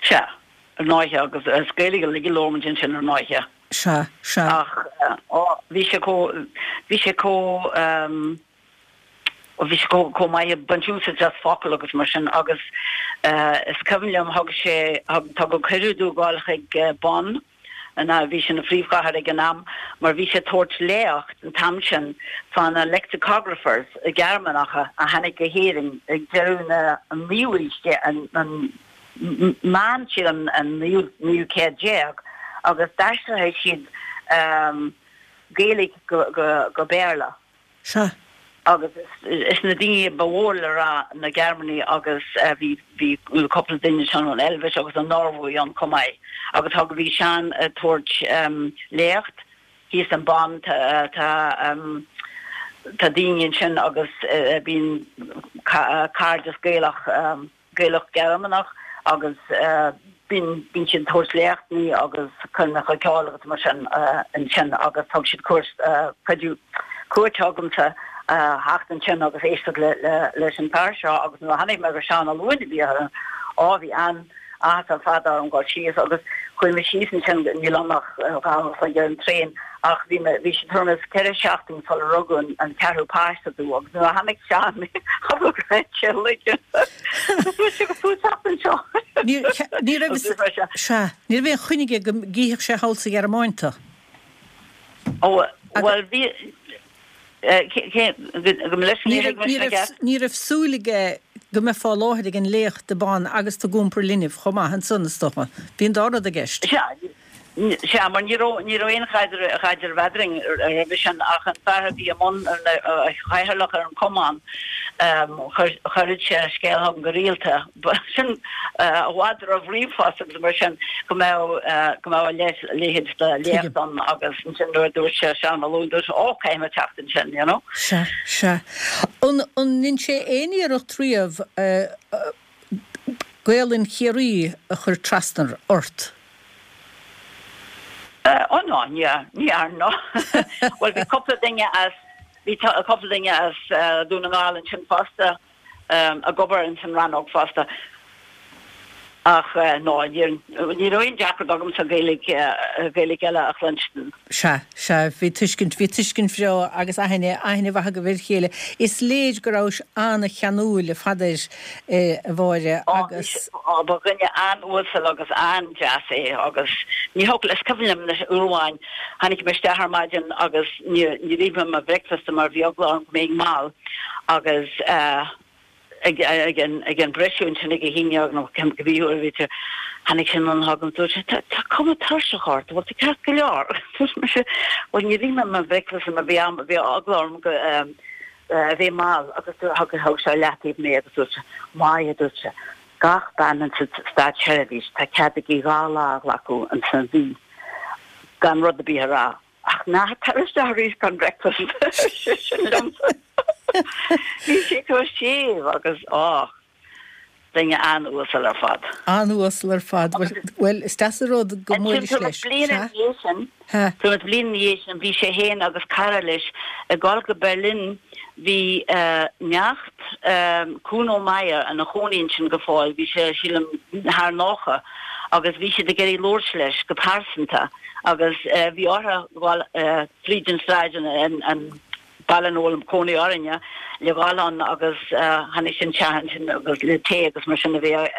Sea, ar ndóighe, agus is Gaeilge uilig a labhair muid ansin ar ndóighe. Sea, sea. Ach, ó, bhí sé chomh, bhí sé chomh, bhí sé chomh, chomh maith ag baint úsáid as focail agus mar sin agus is cuimhin liom thug sé, thug, tugadh cuireadh dó dhul chuig Bonn, ina, bhí sé ina phríomhchathair ag an am, mar bhí sé ag tabhairt léacht an t-am sin fá na lexicographers Gearmánacha a tháinig go hÉirinn ag deireadh na, an naoú haois déag, an, an, meán sílim an naoú, naoú céad déag agus d'aistrigh siad Gaeilge go, go, go Béarla. Sea. Agus is na daoine ba mhór le rá na Gearmánaigh agus bhí bhí cúpla duine ansin ón Eilbheis agus an Norbhaois ann chomh maith. Agus thug bhí Seán ag tabhairt léacht thíos in Bonn tá tá tá daoine ansin agus bíonn cairdeas Gaelach Gaelach Gearmánach agus bíonn bíonn siad ag tabhairt léachtanna agus coirmeacha ceoil agus mar sin ansin agus thug siad cuairt cuidiú cuairt chugamsa theacht ansin agus éisteacht le le leis an bhfear seo agus nuair a chonaic mé gur Seán Ó Luain a bhí ann á bhí an áthas ar fad orm dul síos agus chuaigh mé síos ansin níl ann ach 2 uair an chloig ar an traein ach bhí mé bhí sé tuairim is 4 seachtain sular rugadh an an ceathrú páiste domh agus nuair a chonaic Seán mé thug sé loige Dúirt sé go tú teacht anseo. Ní ní raibh sea ní raibh aon choinne aige go gcífeadh sé thall sa Ghearmáin tú. Ó bhuel bhí Ní raibh súil aige go mbeifeá i láthair ag an léacht i Bonn agus tú ag iompar linbh chomh maith ansan, is dócha. Bhí an dá rud i gceist. Sea, mar ní raibh, ní raibh aon chaidreamh eadrainn roimhe sin ach an fear a bhí i mbun, cathaoirleach ar an chumann, chuireadh sé scéal chugam go rialta. Sin i bhfad roimh ríomhphost agus mar sin go mbeadh, go mbeadh a leithéid de léacht ann agus ansin nuair a dúirt sé Seán Ó Luain, dúirt sé, ó, caithfidh mé teacht ansin, you know. Sea, sea. An, an ndein sé aon iarracht riamh Gaolainn Chiarraí a chur trasna ort? Ó ná, ní, ní dhearna. Bhuel bhí cúpla duine as, bhí cúpla duine as Dún na nGall ansin fosta. ag obair ins an rannóg fosta. Ach ná, ní raibh aon deacracht agamsa Gaeilge, Gaeilge eile a chluinstin. Sea, sea, bhí tuiscint, bhí tuiscint bhreá agus aithne, aithne mhaith agaibh ar a chéile. Is léir go rabhais an-cheanúil a Pheadair, a Mháire, agus. Ó, ba dhuine an-uasal agus an-deas é agus ní thiocfadh, is cuimhin liom anois uair amháin, tháinig mé isteach ar maidin agus níor ith mé mo bhricfeasta mar bhí eagla orm go mbeinn mall. Agus ag an briseadh ansin ag a haon dhéag nó cibé uair a bhí sé, tháinig sé anonn chugam, dúirt sé, tá cuma tuirseach ort, bhfuil tú ceart go leor? Dúirt mise, bhuel níor ith mé mo bhricfeasta mar bhí am, bhí eagla orm go a bheith mall agus thug thug sé leataobh mé agus dúirt sé, maith, a dúirt sé, gach bean insa státseirbhís, tá cead aici 2 lá a ghlacadh insan mhí gan rud ar bith a rá. Ach ná tar isteach arís gan breakfast, ar seisean liomsa. Bhí sé chomh séimh agus, á, duine an-uasal ar fad. An-uasal ar fad. Bhuel, is deas an rud go mbuailis leis. Bliain ina dhiaidh sin, bliain ina dhiaidh sin, bhí sé féin agus cara leis ag dul go Berlin. Bhí neacht Kuno Meyer ina chónaí ansin go fóill, bhí sé, sílim, thar 90, agus bhí siad ag iarraidh labhairt leis go pearsanta. Agus bhí orthu dhul fríd an sráid an baile ina bhfuil cónaí orainne le dhul ann agus tháinig sé isteach ansin agus le tae agus mar sin a bheith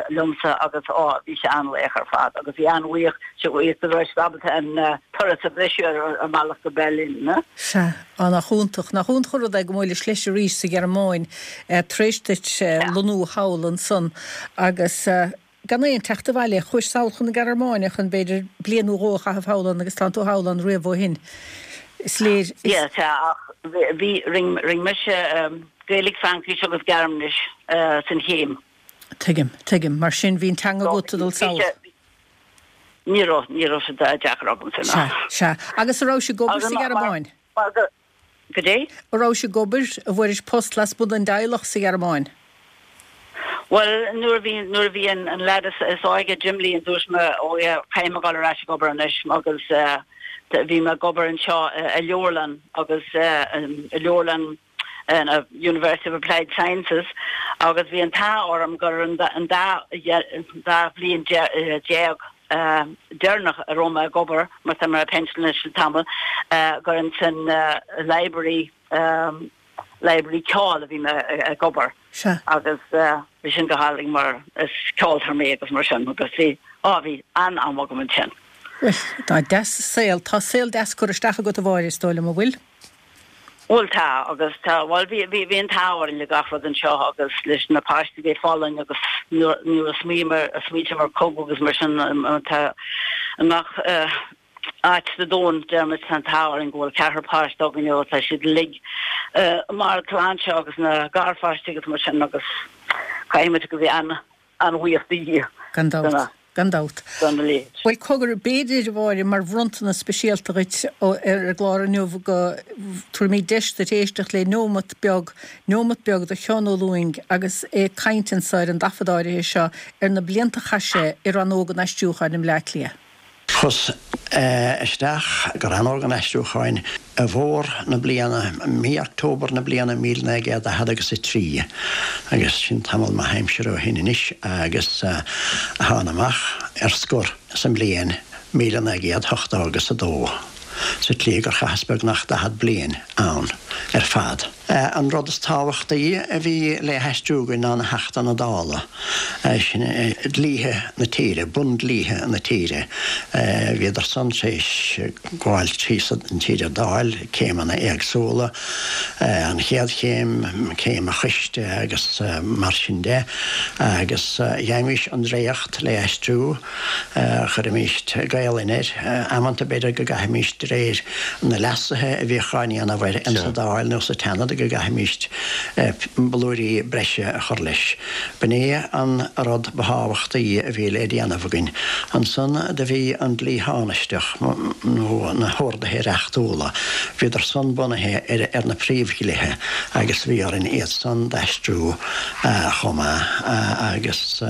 liomsa agus á bhí sé an-laoch ar fad agus bhí an-bhuíoch sé bhuíoch go raibh siad ábalta an turas a bhriseadh ar a mbealach go Berlin. Sea, á nach iontach, nach iontach an rud é go mbuailis leis arís sa Ghearmáin tar éis duit lonnú thall ansan agus Gan aon teacht abhaile, chuais sall chun na Gearmáine chun, b'fhéidir, bliain nó dhó a chaitheamh thall ann agus tánn tú thall ann riamh ó shin. Is léir. Is. Yeah, sea, ach bhí, rinne, rinne mise Gaeilge, Fraincis agus Gearmáinis san chéim. Tuigim, tuigim. Mar sin, bhí an teanga agat ag dul sall. Ní raibh, ní raibh sé deacair agamsa, ná. Sea, sea. Agus an rabhais ag obair sa Ghearmáin? Mar go, Goidé? An rabhais ag obair, an bhfuairis post lasmuigh den dteaghlach sa Ghearmáin? Bhuel, nuair a bhí, nuair a bhí an, an leaid is, is óige, Jim Lee, dúirt mé, oh yeah, caithfidh mé dul ar ais ag obair anois agus eh, bhí mé ag obair anseo i leabharlann agus eh, i leabharlann an University of Applied Sciences agus bhí an t-ádh orm gur an dá, an dá, dá bhliain déag. deireanach a raibh mé ag obair, mar tá mé ar pension anois le tamall, gur ins an library, library ceoil a bhí mé ag obair. Sea. Agus bhí sin go hálainn mar is ceoltóir mé agus mar sin agus bhí, á bhí an-am agam ansin. Bhuel, tá deas saol, tá saol deas curtha isteach agat a Mháire, is dóigh liom, an bhfuil? Bhuel tá, agus tá, bhuel bhí, bhí, bhí an t-ádh orainn le gach rud anseo agus leis na páistí bheith folláin agus nuair, nuair a smaoiním, smaoiním ar cogadh agus mar sin tá i ngach áit sa domhan, deirimid tá an t-ádh orainn go bhfuil ceathrar páiste againn agus tá siad uilig i mbarr a sláinte agus na garpháistí agus mar sin agus caithfimid go bheith an, an-bhuíoch do Dhia. Gan dabht. Gan dabht. Dona leithéid. Bhuel, cogar, b'fhéidir, a Mháire, mar bhronntanas speisialta dhuit ar an gclár inniu go dtabharfaimid deis duit éisteacht le neomat beag, neomat beag de Sheán Ó Lúing agus é ag caint anso ar an dtaifead áirithe seo ar na blianta a chaith sé i Rannóg an Aistriúcháin i mBleá Cliath. Chuas isteach go Rannóg an Aistriúcháin i bhfómhar na bliana, mí October na bliana 1943, agus sin tamall maith aimsire ó shin anois, agus thána amach ar scor sa mbliain 1980 agus a dó, sa tslí gur chaitheas beagnach 40 bliain ann ar fad. An rud is tábhachtaí a bhí le haistriú againn ná na hAchtanna Dála, sin dlíthe na tíre, bundlíthe na tíre. Bhíodar san tar éis gabháil tríd an Dáil, céimeanna éagsúla, an chéad chéim, céim an choiste agus mar sin de, agus gheibhimís an dréacht le aistriú. Chuirimíst Gaelainn air. Amanta b'fhéidir go gcaithfimíst de réir na leasuithe a bhíodh á ndéanamh air insa Dáil nó sa tSeanad go gcaithfimíst blúirí breise a chur leis. B'in é an rud ba thábhachtaí a bhí le déanamh againn. Ansan do bhí an dlí thánaisteach nó na horduithe reachtúla. Bhíodar san bunaithe ar na príomhdhlíthe agus bhí orainn iad san d'aistriú chomh maith agus.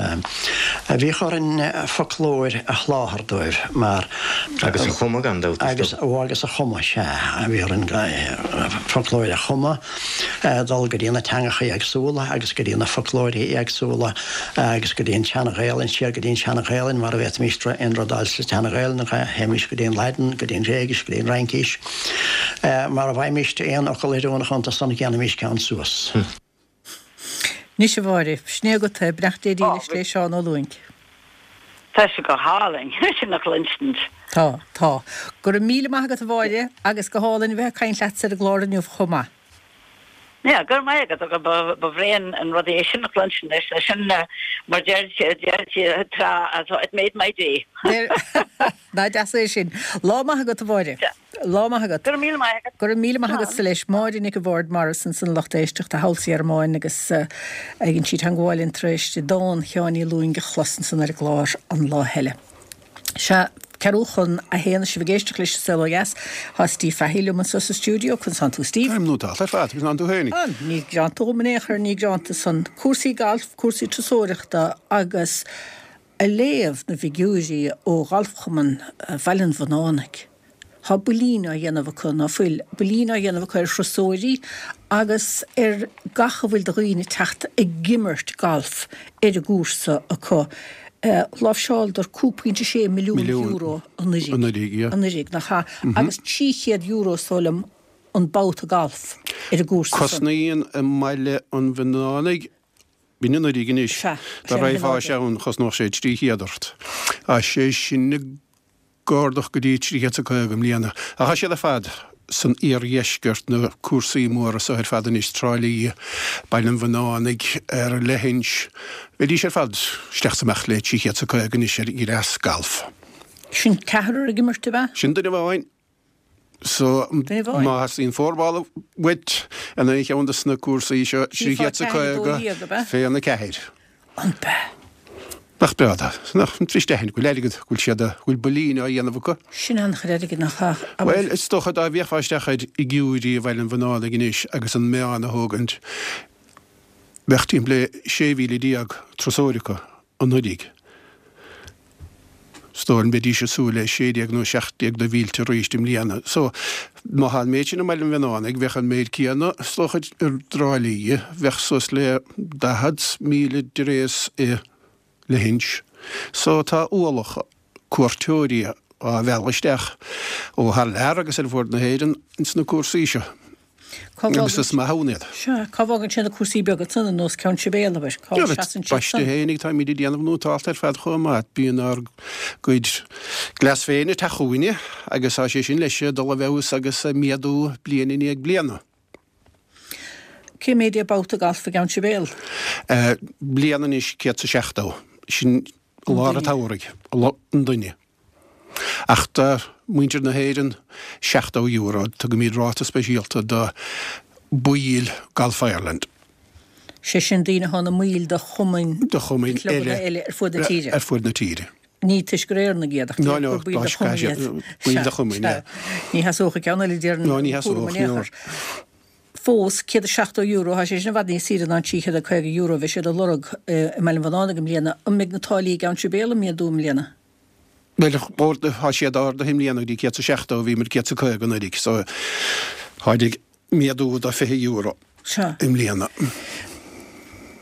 Bhíodh orainn foclóir a sholáthar dóibh mar. Agus a chumadh, gan dabht, is dóigh. Agus a chumadh, sea. Bhí orainn foclóir a chumadh, dul go dtí na teangacha éagsúla agus go dtí na foclóirí éagsúla agus go dtí an tSean-Ghaelainn, siar go dtí an tSean-Ghaelainn mara bhféadfaimís aon rud a fháil sa tSean-Ghaelainn, théimís go dtí an Laidin, go dtí an Ghréigis, go dtí an Fhraincis. Mara bhfaighimís aon fhocal oiriúnach iontu san, dhéanfaimís ceann suas. Anois a Mháire, sin é agat é, beannacht Dé dílis le Seán Ó Lúing. Tá sé go hálainn sin a chluinstin. Tá, tá. Go raibh míle maith agat a Mháire agus go hálainn a bheith ag caint leatsa ar an gclár inniu chomh maith. Yeah, go raibh maith agat agus ba bhréa an rud é sin a chluinstin anois, sin mar deir deir tráth it made my day. Nach deas é sin. Lá maith agat a Mháire. Lá maith agat. Go raibh míle maith agat. Go raibh míle maith agatsa leis. Máire Nic an Bhaird Morris ansan lucht éisteachta thall sa Ghearmáin agus ag an sí teangmháil linn tar éis di dán Sheáin Uí Lúing a chlos ansan ar an gclár an lá eile. Sea, ceathrú chun a haon is sibh ag éisteacht leis An Saol Ó Dheas. Tá Steve Fahey liom anso sa stiúideo. Conas tánn tú Steve? Táim nótálta ar fad. Conas tánn tú féinig? Á, ní greanta dhom in aon chor, ní greanta san. Cúrsaí gailf, cúrsaí turasóireachta agus Ag léamh na bhfigiúirí ó Ghalfchumann Bhaile an Bhunánaigh, tá builín á dhéanamh acu, ná fuil, builín á dhéanamh acu ar thurasóirí agus ar gach a bhfuil de dhaoine ag teacht ag imirt galf ar an gcúrsa acu. Láimhseáladar 5.6 milliún euro anuraidh, anuraidh, nach ea? Agus €300 is dóigh liom an babhta galf ar an gcúrsa san. Cosnaíonn i mBaile an Bhunánaigh B'in anuraidh anois. Sea, Dá sin raghfá ann chosnódh sé 300 ort. Tá sé sin ag ardú go dtí 350 i mbliana. Ach tá siad ar fad san iardheisceart, na cúrsaí móra so ar fad anois, Trá Lí, Baile an Bhunánaigh, ar Leithinse. Bheidís ar fad isteach is amach le 350 anois ar dhreas galf. Sin ceathrar ag imirt, ab ea? Sin duine amháin. So, má theastaíonn four ball uait in aon cheann de na cúrsaí seo, 350 fén 4. An b'ea? Nach breá é? Nach trist aithint go bhfuil airgead, go bhfuil siad, go bhfuil builín á dhéanamh acu. Sin an-chuid airgid, nach ea? Bhuel, is dócha dá bhféachfá isteach ar fhigiúirí Bhaile an Bhunánaigh anois agus an meán a thógaint, bheadh timpeall le 16,000 turasóir acu anuraidh. Is dóigh liom mbeidís ag súil le 16 nó 17 de mhílte arís i mbliana. So, má thá an méid sin i mBaile an Bhunánaigh, bheadh an méid céanna, is dócha, i dTrá Lí, bheadh suas le 40,000 dtréas i Leithinse. So, tá ualach. cuairteoirí á mhealladh isteach ó thar lear agus ar fuaid na hÉireann ins na cúrsaí seo. Cá Agus bhfágann is maith ann iad. Sea, cá bhfágann sé na cúrsaí beaga ansan, ar nós Ceann Sibéal, abair? Cá seasann siad Baiste san? fhéinig, táimid ag déanamh nótálta ar fad chomh maith. Bíonn ár gcuid gleas féin ag teacht chugainne agus tá sé sin leis ag dul i bhfeabhas agus ag méadú bliain i ndiaidh bliana. Cé méid é babhta gailf i gCeann Sibéal? Bliain anois, 170. Sin i lár an tsamhraidh, an duine. Ach do mhuintir na hÉireann, €70. Tugaimid ráta speisialta do bhaill Golf Ireland. Sé sin daoine atá ina mbaill de chumainn, de chumainn clubanna eile ar fuaid na tíre. Ar fuaid na tíre. Ní toisc gur Éireannaigh iad, ach No, no, gur baill de chumainn iad. Baill de chumainn, yeah. Ní sheasódh an ceann eile déarfainn No, ní cúram sheasódh, in aon no. chor. Fós, €170, tá sé sin i bhfad níos saoire ná an €350 a bhí siad a lorg i mBaile an Bhunánaigh i mbliana. An mbeidh na táillí i gCeann Sibéal ag méadú i mbliana? Bhuel, tá siad ardaithe i mbliana go dtí 170, bhíomar 150 anuraidh, so táid ag méadú do €20 Sea. i mbliana.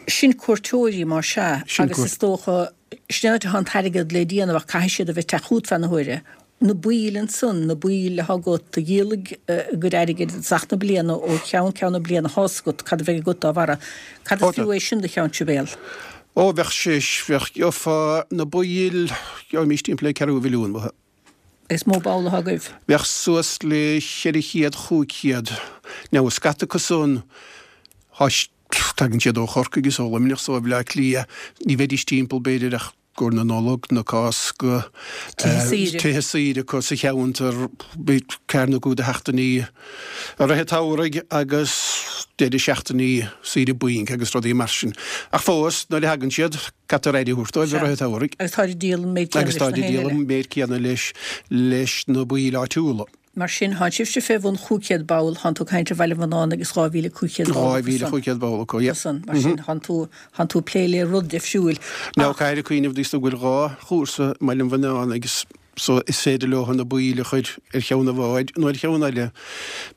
Sin cuairteoirí, más ea, Sin agus cuairt. is dócha, sin an áit atá an t-airgead le déanamh ach caithfidh siad a bheith ag teacht chugat feadh na huaire. Na baill ansan, na baill atá agat, a dhíolfaidh a gcuid airgid i dtosach na bliana ó cheann ceann na bliana, tá's agat cad a bheidh agat dá bharra. Cad is fiú é sin do Cheann Sibéal? Ó, bheadh sé, bheadh, gheofá na baill, gheobhaimis timpeall le ceathrú mhilliún uathu. Is mó ball atá agaibh. Bheadh suas le 400, 500. Now, scata acu san, tá, tagann siad ó Chorcaigh is ó Luimneach is ó Bhleá Cliath, ní bheidís timpeall, b'fhéidir, ach i gcomhair na Nollag, na Cásca, Tithe saoire. tithe saoire acu sa cheantar, ceathair nó cúig de sheachtainí i rith an tsamhraidh agus deireadh seachtainí saoire bainc agus rudaí mar sin. Ach fós, nuair a thagann siad, caithfear aire a thabhairt dóibh i rith an tsamhraidh. Agus táid ag díol an méid céanna Agus leis na táid ag héinne díol eile. an méid céanna leis leis na baill áitiúla. Mar sin, thánn sibhse fé bhun 500 ball, thánn tú ag caint ar Bhaile an Bhunánaigh agus 2,500 ball acu san. 2,500 ball acu, yeah. San. Mar sin, thánn tú, thánn tú ag plé le rud deifriúil. Now, caithfear cuimhneamh go bhfuil dhá chúrsa i mBaile an Bhunánaigh agus so is féidir leo na baill a chur ar cheann amháin nó ar cheann eile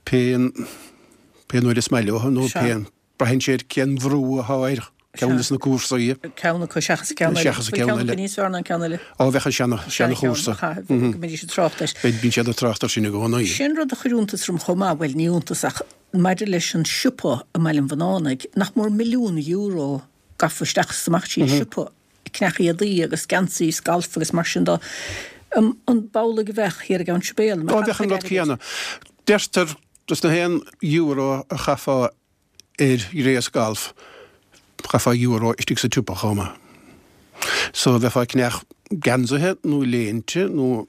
pé, pé nuair is maith leo nó pé, Braitheann sé ar cén bhrú atá ar cheann de na cúrsaí. Ceann acu seachas an ceann eile. Seachas an ceann eile. Bhfuil ceann acu níos fearr ná an ceann eile? Ó, bheadh an seana, seana-chúrsa. Go mbeidís ag trácht air. Beidh, bíonn siad ag trácht air sin i gcónaí. Sin rud a chuir iontas orm chomh maith, bhuel, ní iontas ach maidir leis an siopa i mBaile an Bhunánaigh, nach mór milliún euro gafa isteach is amach tríd an siopa, ag ceannach éadaí agus geansaí is galf agus mar sin de. An b'amhlaidh a bheadh thiar i gCeann Sibéal? Ó, bheadh an rud céanna. Deirtear, dos na haon euro a chaithfeá ar ghléas gailf, chaithfeá euro istigh sa tsiopa chomh maith. So bheifeá ag ceannach geansaithe nó léinte nó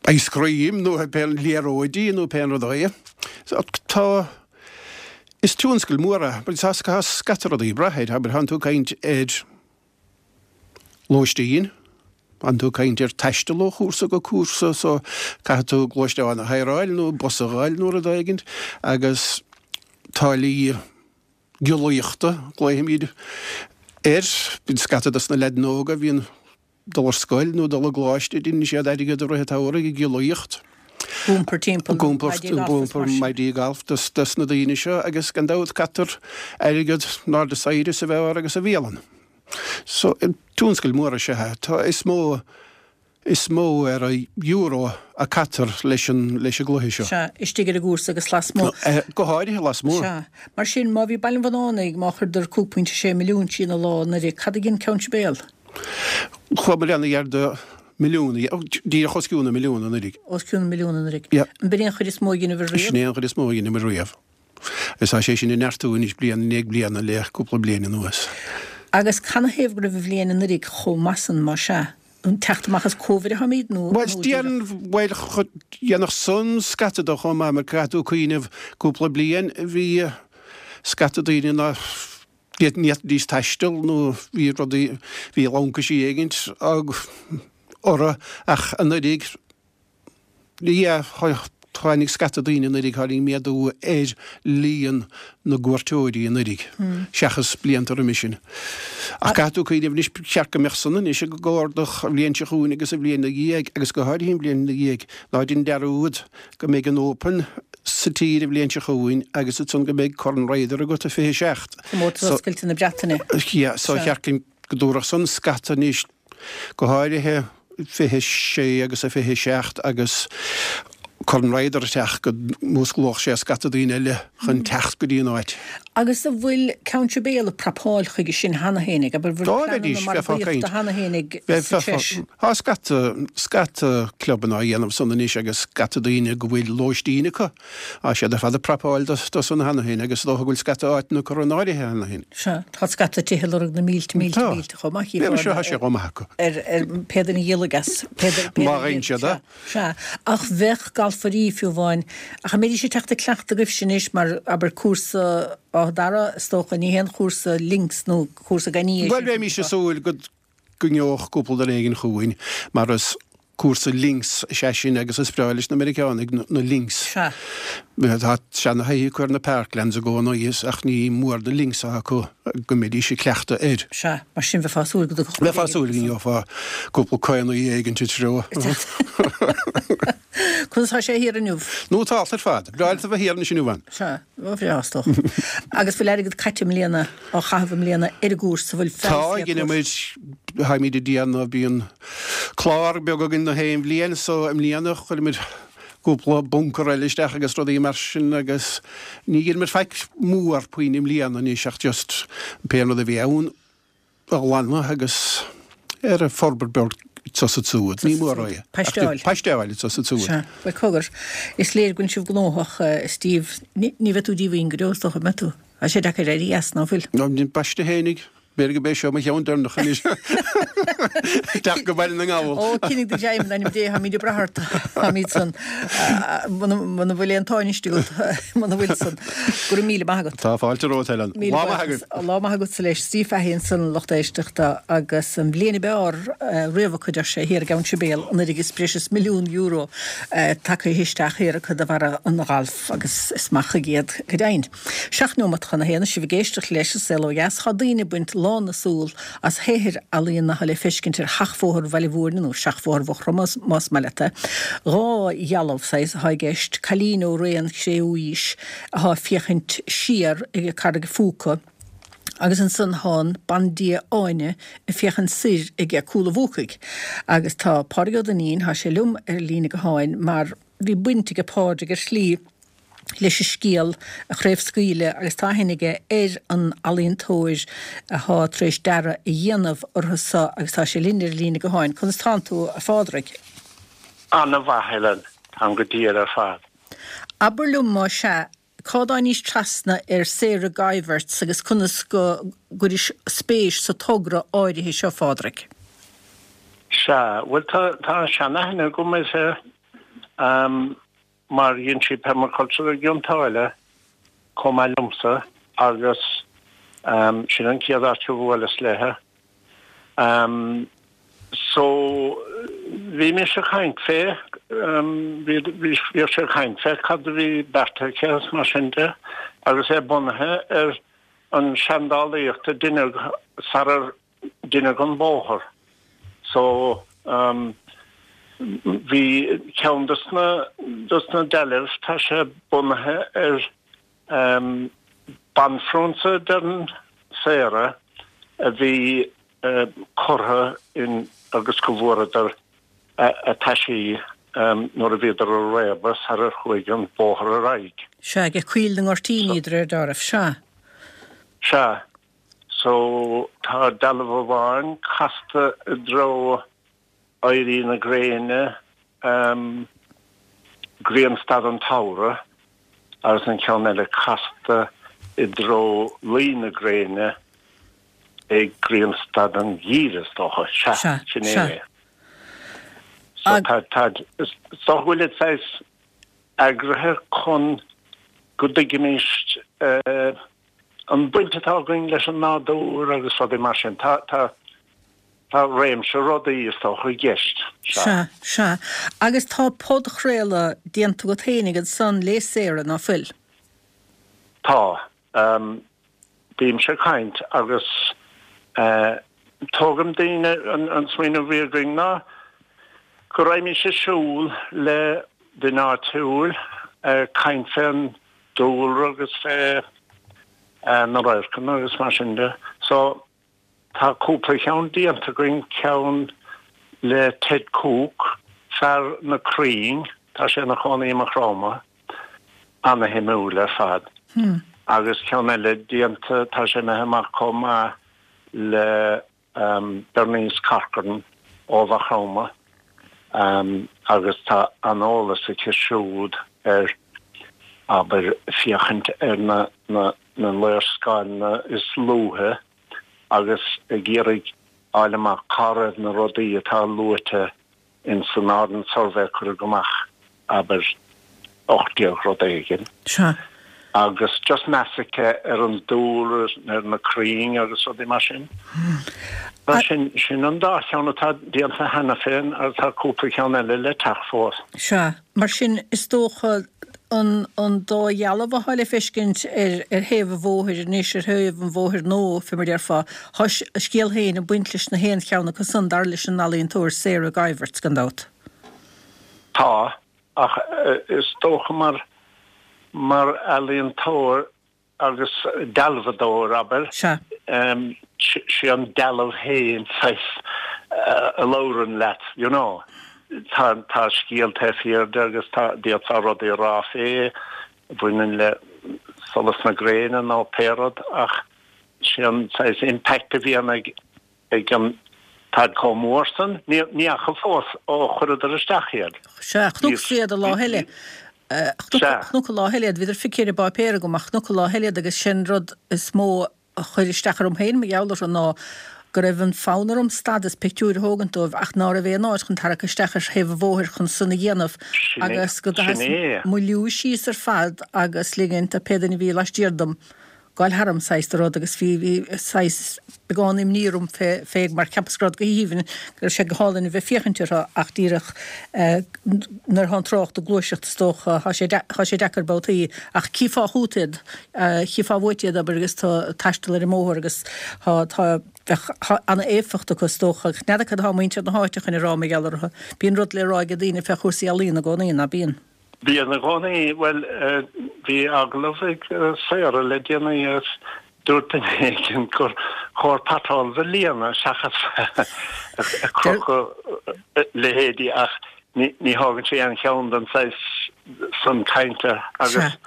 ice cream nó pé liathróidí nó pé rud é. So tá, is tionscal mór é, but tá scata rudaí ag brath air, abair, thánn tú ag caint ar lóistín, thánn tú ag caint ar taisteal ó chúrsa go cúrsa so caithfidh tú gluaisteán a hireáil nó bus a fháil nó rud éigint agus táillí giollaíochta, glaofaimid air, bíonn scata dos na leaideanna óga a bhíonn dul ar scoil nó dul i gcoláiste, déanann siad airgead i rith an tsamhraidh ag giollaíocht. Ag iompar timpeall Ag iompar, maidí ag gailf is iompar mar sin. maidí gailf dos, dos na daoine seo agus gan dabht caitear airgead in airde saoire sa bheár agus sa bhialann. So, tionscal mór is ea é. Tá, is mó, is mó ar an euro a caitear leis an, leis an gcluiche seo. Sea, istigh ar an gcúrsa agus lasmuigh. Go háirithe lasmuigh. Sea. Mar sin, má bhí Baile an Bhunánaigh, má chuireadar 5.6 milliún trína lá anuraidh, cad a dhein Ceann Sibéal? Chuamar an-ghar do milliún, díreach os cionn milliún anuraidh. Os cionn milliún anuraidh. Yeah. An b'in é an chuid is mó a dheineabhair riamh? Sin é an chuid is mó a dheineabhair riamh. Agus tá sé sin ag neartú anois bliain i ndiaidh bliana le cúpla bliain anuas. Agus canathaobh go raibh an bhliain anuraidh chomh maith san, más ea? An teacht amach as Covid atáimid nó Bhuel, díreach? bhuel, dhéanfadh san scata de chomh maith mar caithfidh tú cuimhneamh cúpla bliain bhí scata daoine ná Ní fhéadfaidís taisteal nó bhí rudaí, bhí laincisí éigint orthu ach anuraidh, yeah, tháinig scata daoine anuraidh, tháinig méadú ar líon na gcuairteoirí anuraidh seachas blianta roimhe sin. Ach caithfidh tú cuimhneamh anois, ba cheart go mbeadh san anois ag ardú an bhliain seo chugainn agus an bhliain ina dhiaidh agus go háirithe an bhliain ina dhiaidh, ná déan dearúd go mbeidh an Open sa tír an bhliain seo chugainn agus ansan go mbeidh Corn Ryder agat i 27. Comórtas Oscailte na Breataine. Yeah, so cheart go dtabharfadh san scata anois, go háirithe. 26 agus a 27 agus Corn Ryder ag teacht go músclódh sé scata daoine eile chun teacht go dtí an áit. Agus an bhfuil Ceann Sibéal ag prapáil chuige sin cheana féinig? Abair, bhfuil Dá bheidís, pleananna bheifeá ag caint. margaíochta cheana féinig sa Bheifeá, treis? tá scata, scata clubanna á dhéanamh san anois agus scata daoine go bhfuil lóistín acu. Tá siad ar fad ag prapáil do san cheana féin agus is dócha go bhfuil scata áiteanna curtha in áirithe cheana féin. Sea, tá scata tithe ag lorg na mílte, mílte, Tá. mílte chomh maith, Bhuel, chífeá seo, tá sé chomh maith acu. ar, ar pé duine a dhíolfaidh as, pé duine, pé Má duine a gheibheann siad é. Sea, ach bheadh galfairí, fiú amháin, ach an mbeidís ag teacht ag cleachtadh agaibhse anois mar, abair, cúrsa Áth Dara, is dócha, ní haon chúrsa links nó cúrsa gan é sin. Bhuel, bheimis ag súil go go ngeobhadh cúpla duine éigin chugainn mar is cúrsa links is ea sin agus is breá leis na Meiriceánaigh na links. Sea. Tá seana-thaithí acu ar na parklands i gcónaí ach ní mór na links atá acu go mbeidís ag cleachtadh air. Sea, mar sin bheifeá ag súil go dtiocfadh Bheifeá ag súil go ngeofá cúpla caonaí éigin sa treo. Conas tá sé thiar inniu? Nótálta ar fad. Breá leat a bheith thiar anois inniu ann. Sea, bhreá is dócha. Agus bhfuil airgead caite i mbliana, á chaitheamh i mbliana ar an gcúrsa, bhfuil Tá, feabhas le dhein muid, táimid ag déanamh, bíonn clár beag againn na haon bhliain so i mbliana chuir muid cúpla bunker eile isteach agus rudaí mar sin agus ní dhein muid faic mór puinn i mbliana anois ach just pé rud a bhí ann. a ghlanadh agus ar an forbairt beag anso is ansiúd. Ní mór é. Paisteáil. Paisteáil anso is ansiúd. Sea. Bhuel, cogar, is léir go bhfuil sibh gnóthach, a Steve. Ní bheidh tú díomhaoin go deo, is dócha, an mbeidh tú? Tá sé deacair éirí as, ná fuil? Ná baiste fhéinig. B'fhéidir gurb é seo mo cheann deireanach anois. Teacht go Baile na nGall. Ó, coinnigh do ghreim, in ainm Dé, táimid ag brath ort. Táimid san. Muna bhfuil aon táiniste agat, muna bhfuil san. Go raibh míle maith agat. Tá fáilte romhat, Helen. Míle Lá maith buíochas. agaibh. Lá maith agatsa leis. Steve Fahey ansan, a lucht éisteachta, agus an bhliain ab fhearr riamh acu, deir sé, thiar i gCeann Sibéal, anuraidh is breis is €1,000,000 tagtha isteach thiar acu de bharra an ghailf agus is maith chuige iad, go deimhin. Seacht neomat chun a haon, sibh ag éisteacht leis an Saol Ó Dheas. Tá daoine ag baint lán na súl as shaothair ealaíona atá le feiscint ar Sheachbhóthar Bhaile Mhúirne, nó Seachbhóthar Mhaigh Chromtha más maith leat é. Dhá dhealbh, saghas, atá i gceist, cailín ó ré an Chré-Umhaois atá ag féachaint siar ag Carraig an Phúca, agus ansan thá an Bandia Áine ag féachaint soir ag Cúl an Bhúcaigh. Agus tá Pádraig Ó Duinnín, thá sé liom ar an líne gutháin mar bhí baint aige Pádraig ar shlí leis an scéal a chraobhscaoileadh agus tá aithne aige ar an ealaíontóir athá tar éis dearadh a dhéanamh orthu so agus tá sé linn ar an líne gutháin. Conas tánn tú, a Phádraig? Ana-mhaith, Helen. Táim go diail ar fad. Abair liom, más ea, cá dtáinís trasna ar Sarah Geiwitz agus conas go gcuiris spéis sa togra áirithe seo, Phádraig? Sea, bhuel tá, tá seanaithne agam uirthi. Mar dhein sí permaculture i gCionn tSáile chomh maith liomsa agus sin an chéad áit a bhuaileas léithe. So bhí mise ag caint fé, bhíodh sí ag caint fé cad a bhí beartaithe aici agus mar sin de agus é bunaithe ar an seandálaíocht a deineadh sarar deineadh an bóthar. So bhí ceann dos na dos na dealbh, tá sé bunaithe ar banphrionsa deireann Sarah a bhí curtha in agus go bhfuaireadar a taisí nuair a bhíodar a réabadh sarar chuaigh an bóthar ar aghaidh. Sea, ag Coill na nGoirtíní de réir dealraimh. Sea. Sea. So tá dealbh amháin casta i dtreo éirí na gréine, grianstad an tsamhraidh, agus an ceann eile casta i dtreo luí na gréine ag grianstad an gheimhridh, is dócha. Sea, sin é é. So tá, tá, is dócha go bhfuil siad saghas eagraithe chun go dtuigfimis an baint atá againn leis an nádúr agus rudaí mar sin. Tá, tá, tá réimse rudaí, is dócha, i gceist. Sea. Sea, sea. Agus tá podchraoladh déanta agat féinig ansan le Sarah, ná fuil? Tá. Bímse ag caint agus tógaim daoine, an smaoineamh a bhí againn ná go raghaimís ag siúl le duine áitiúil, caint fén dúlra agus fé na radharcanna agus mar sin de. So tá cúpla ceann déanta againn, ceann. le Ted Cooke, fear na crainn, tá sé ina chónaí i Maigh Chromtha, ana-shuimiúil ar fad. Agus ceann eile déanta, tá sé imithe amach chomh maith le Bernice Corcoran ó Mhaigh Chromtha agus tá an-eolas aici siúd ar, abair, féachaint ar na na léarscáileanna is luaithe agus ag iarraidh fháil amach cá raibh na rudaí atá luaite ins an Ordnance Survey a cuireadh amach, abair, 18 rud éigin. Sea. Agus just meas aici ar an dúlra, ar na crainn agus rudaí mar sin. Mar sin, sin an dá cheann atá déanta cheana féin agus tá cúpla ceann eile le teacht fós. Sea. Mar sin, is dócha, an an dá dhealbh athá le feiscint ar ar thaobh an bhóthair anois, ar thaobh an bhóthair nua, fé mar déarfá, thá a scéal féin ag baint leis na haon cheann acu san, dar leis an ealaíontóir Sarah Guyverts, gan dabht. Tá, ach is dócha mar mar ealaíontóir, agus dealbhadóir, abair. Sea. Sé an dealbh féin saghas a labhrann leat, you know. Tá, tá scéal taobh thiar de agus tá, d'fhéadfá rudaí a rá fé a bhaineann le solas na gréine nó pé rud ach sé an saghas impact a bhíonn ag, ag an, táid chomh mór san, ní, ní fhaca fós ó chuireadar isteach iad. Sea, chonacsa iad an lá eile. Chonac an lá eile iad, bhíodar feicthe ar an bpáipéar agam ach chonac an lá eile iad agus sé'n rud is mó a chuir isteach orm féin mar gheall orthu ná go raibh an fonn orm stad is pictiúir a thógaint dóibh ach ná raibh aon áit chun tarrac isteach ar thaobh an bhóthair chun san a dhéanamh agus go gcaitheas mo liú síos ar fad agus ligint do pé duine a bhí laistiar dom gabháil tharam saghas de rud agus bhí, bhí saghas beagán imní orm fé, fé mar cheapas go raibh go haoibhinn, go raibh sé go hálainn a bheith féachaint orthu ach díreach nuair atá an trácht ag gluaiseacht is dócha, thá sé, thá sé deacair babhtaí ach chífeá chút iad, chífeá uait iad abair agus tú ag taisteal ar an mbóthar agus thá, tá, bheadh, thá ana-éifeacht acu is dócha ach n'fheadar cad atá muintir na háite chun a rá mar gheall orthu. Bíonn rud le rá ag daoine fé chúrsaí ealaíona i gcónaí, ná bíonn? Bíonn i gcónaí. Bhuel, bhí agallamh ag Sarah le déanaí agus dúirt duine éigin gur chóir potholes a líonadh seachas ag crochadh leithéidí ach ní thógann sé aon cheann den saghas san cainte agus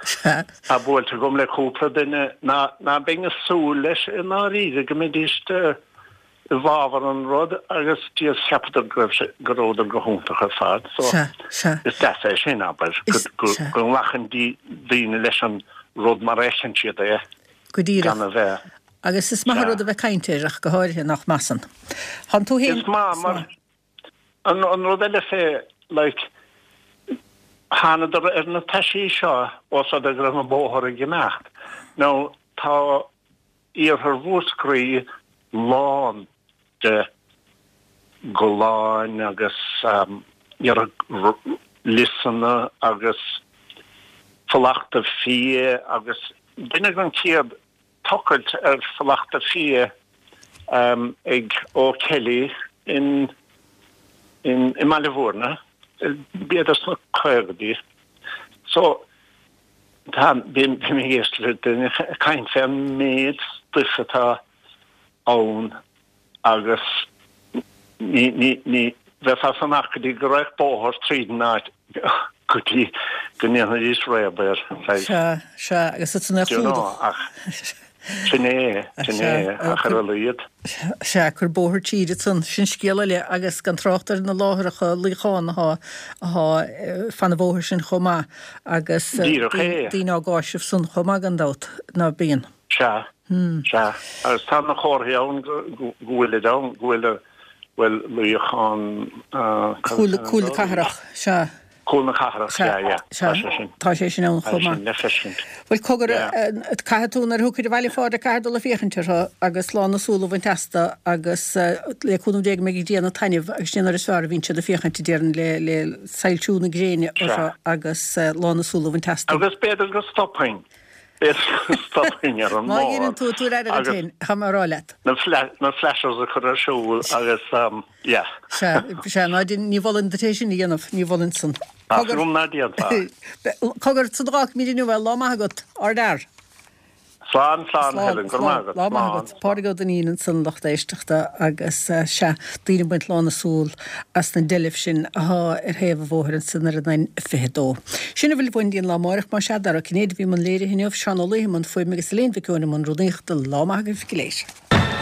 tá buailte agam le cúpla duine ná beinn ag súil leis i ndáiríre go mbeidís i bhfabhar an rud agus just cheapadar go raibh sé, go rabhadar go hiontach ar fad so Sea, sea. is deas é sin, abair, go, Is, go, sea. go nglacann daoine leis an rud mar a fheiceann siad é Go díreach. gan a bheith, Agus is maith an sea. rud a bheith ag caint air ach go háirithe, nach measann? Thánn tú féin, Is maith is mar, maith. an, an rud eile fé, like, thánadar ar na taisí seo ós rud é go raibh an bóthar ag imeacht. Now tá Iarthar Mhúscraí lán de gholláin agus liosanna agus fulachta fia agus deineadh an chéad tochailt ar fulachta fia ag O'Kelly in i mBaile Bhúirne, b'fhéidir sna caogaidí. So Tá, bím ag éisteacht le daoine ag caint fé an méid stuif atá ann agus ní, ní, ní bheifeá ag fanacht go dtí go raghadh bóthar tríd an áit go dtí go ndéanfaidís réab air. Sea, sea, agus ansan é a Do you know, chlúdach. ach Sin é, sin é, ach ar a laghad. Sea, cuir bóthar tríd ansan, sin scéal eile, agus gan trácht ar na láithreacha luíochán athá, athá fan an bhóthair sin chomh maith, agus Díreach é. daoine á gcáiseamh san chomh maith gan dabht, ná bíonn? Sea, sea, agus tá na comharthaí ann go, go bhfuilid ann, go bhfuil, bhuel, luíochán, Cúl, Cúl na Cathrach, sea. Cúl na Cathrach, Sea, yeah, yeah, sea, tá sé sin. tá sé sin ann Tá chomh sé maith. sin le feiscint. Bhuel, cogar, Yeah. caithfidh tú nuair a thiocfaid abhaile a Phádraic, caithfir dul ag féachaint orthu agus lán na súl a bhaint astu agus le cúnamh Dé go mbeidh ag déanamh taitneamh agus sin an uair is fearr a bhíonn siad ag féachaint, a déarfainn, le, le soilsiú na gréine Sea. orthu agus lán na súl a bhaint astu. Agus b'fhéidir go stopfainn, b'fhéidir go stopfainn ar an Má mbóthar dhéanann tú, tabhair aire duit agus féin, tá mé a rá leat. na fla, na flashers a chur ar siúl agus, Yeah. Sea, sea, ná déan, ní mholfainn duit é sin a dhéanamh, ní mholfainn san. Ach Cogar. rún ná déanfá. Cogar, san a fhágfaimid inniu é, lá maith agat, ár bhfear. Slán, slán, Helen, go raibh maith agat. Lá maith agat. Pádraig Ó Duinnín ansan, lucht éisteachta, agus sea, daoine ag baint lán a súl as na deilbh sin athá ar thaobh an bhóthair ansan ar an N22. Sin a bhfuil uainn go dtí an lá amáireach, más ea, Dara Ó Cinnéide a bhí i mbun léirithe inniu, Seán Ó Laoithe i mbun fuaime agus Elaine Mhic Eoin i mbun rúnaíochta. Lá maith agaibh go léir.